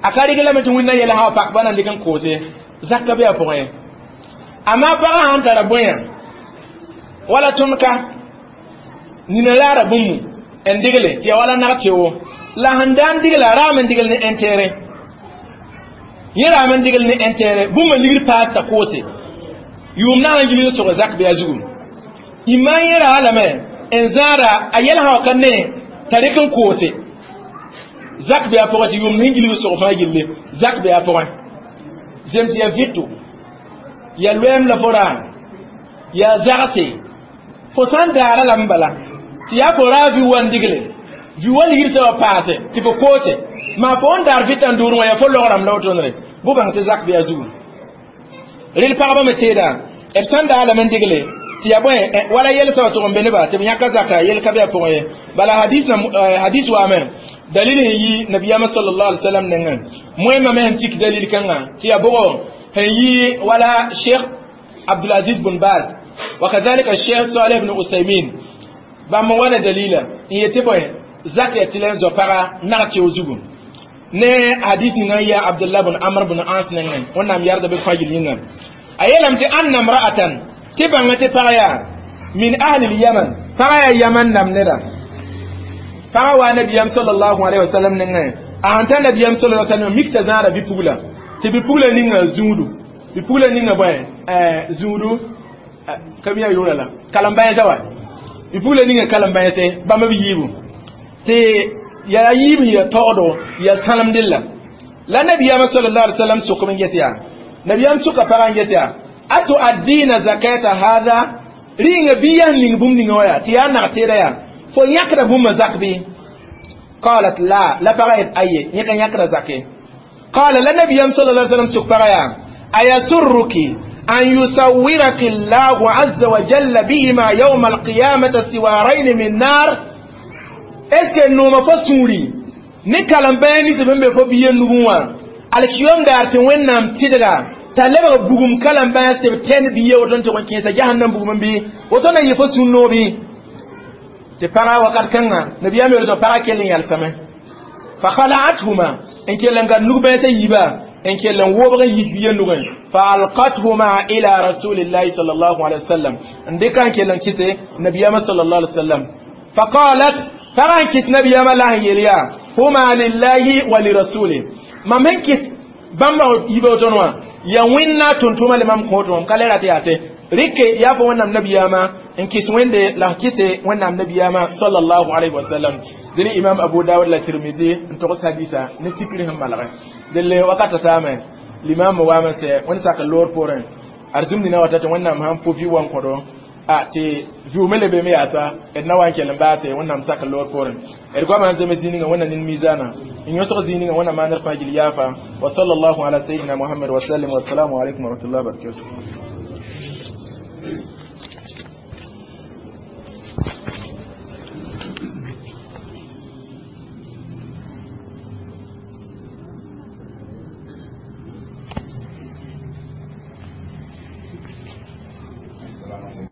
[SPEAKER 2] a ka rɩg lame tɩ wẽnna yɛl sã wa pak ba na n dɩk n koose zaka be a pʋgẽ amaa pagã sãn tara bõe wala tõnd ka nina laara bũmbu n digle tɩ ya wala nag teo la sẽn da n digla raam n digl ne intérêt yẽ raam n digl ne intérêt bũmba ligd paas t'a koose yʋʋm na n gilg sog zak bɩ a zugu imma yẽ raa lame n zãada a yɛl sã wa ka ne t'a rɩk n koose zak bɩ a pʋgẽ tɩ yʋʋm sẽn gilg sog fãa gilli zak bɩ a pʋgẽ zem tɩ ya vɩto ya loɛɛm la fo raa ya zagse fo sãn daara lame bala tɩ yaa fo raa vi wa n digle vi wa ligd sã wa paase tɩ fo koose maa fo n daar vɩta n dʋʋr wã yaa fo lograme la wotondre bʋ bãng tɩ zak bɩ a zugu rel pagba me teeda b sãn daa lame n digle tɩ ya bõe wala yɛl sã wa tʋg n be nebã tɩ b yãka zaka yel ka bɩ a pʋgẽ ye bala hadis na hadis waame dalil sẽn yi nabiyaamã sallallahu alaihi wasallam nengẽ moẽmã me sẽn tik dalil kãngã tɩ ya bʋgo sẽn yi wala sheikh abdulaziz bun baz وكذلك الشيخ صالح بن عثيمين bãmb n wa ne dalila n yetɩ bõe zak ya tɩ la n zoa paga nag teo zugu ne hadis ninga n yaa abdullah bn amr bn ans nengẽ wẽnnaam yarda bɩ fãa yel yĩnga a yeelame tɩ anna mra'atan tɩ bãnga tɩ pag yaa min ahli lyaman pagã yaa yaman nam neda pagã waa nabiyam sallallahu alaihi wasallam nengẽ a sẽn ta nabiyam sallallahu alaihi wasallam mik t'a zãada bɩ-pugla tɩ bɩ-pugla ninga zũudu bɩ-pugla ninga bõe zũudu ka mi a yʋʋra la kalem-bãensã wa bɩ-pugla ninga kalem-bãense bãmb b yiibu tɩ yaa yiib sẽn ya taoogdo ya sãlemdella la nabiyaamã sallallahu alaihi wasallam sʋkm n ges yaa nabiyaam sʋka pagã n ges yaa atuaddina zakata hadha rɩnga bɩ yaa ning bũmb ninga wã yaa tɩ yaa nag teeda yaa fo yãkda bũmba zak bɩ qalat la la pagã yet aye yẽ ka yãkda zake qala la nabiyaam sallallahu alaihi wasallam sʋk pagã yaa ayasurruki أن يصورك الله عز وجل بهما يوم القيامة سوارين من نار est ce que nooma fo sũuri ne kalem-bãa nins sẽn be fo biya nugẽ wã alkiyom daar tɩ wẽnnaam tɩdga t'a lebg bugum kalem-bãas tɩ b tẽnd biya woto n tʋg n kẽesa jahannam bugum bɩ woto na yɩ fo sũ-noog bɩ tɩ pagã wakat kãnga nabiyaam yeel tɩ pagã kell n yalsame fa khala'athuma n kell n gad nug-bãasã yiiba n kell n wobg n yis biya nugẽ fa alqathuma ila rasulillahi sallallahu alaihi wasallam n dɩka n kell n kɩse nabiyaamã sallallahu alaihi wasallam fa qalat pagã n kɩs nabiyaamã la sẽn yeel yaa huma lillahi wa lirasuli mam sẽn kɩs bãmba yiba woton wã ya wẽnna tʋm-tʋma le mam kõot wã m ka le rat yaa tɩ rɩke yaa fo wẽnnaam nabiyaamã n kɩs wẽnde la kɩse wẽnnaam nabiyaamã sallallahu alaihi wasallam dẽn imam abu dawud la tirmidi n togs hadisa ne sikri sẽn malgẽ delle wakata taame limam waame sɛ wẽnd sak loor poorẽ arzũm nina wata tɩ wẽnnaam sãn po vi wan kõdo a tɩ vɩʋʋme le beeme yaasa d na wa n kell n baase wẽnnaam sak loor poorẽ d goamã n zems zĩig ninga wẽnna nin mizaana n yõsg zĩig ninga wẽnna maandr fãa gill yaafa wa sallallahu ala sayidina muhammad wa sallam wassalamu alaikum wa rahmatullahi wa barakatuh.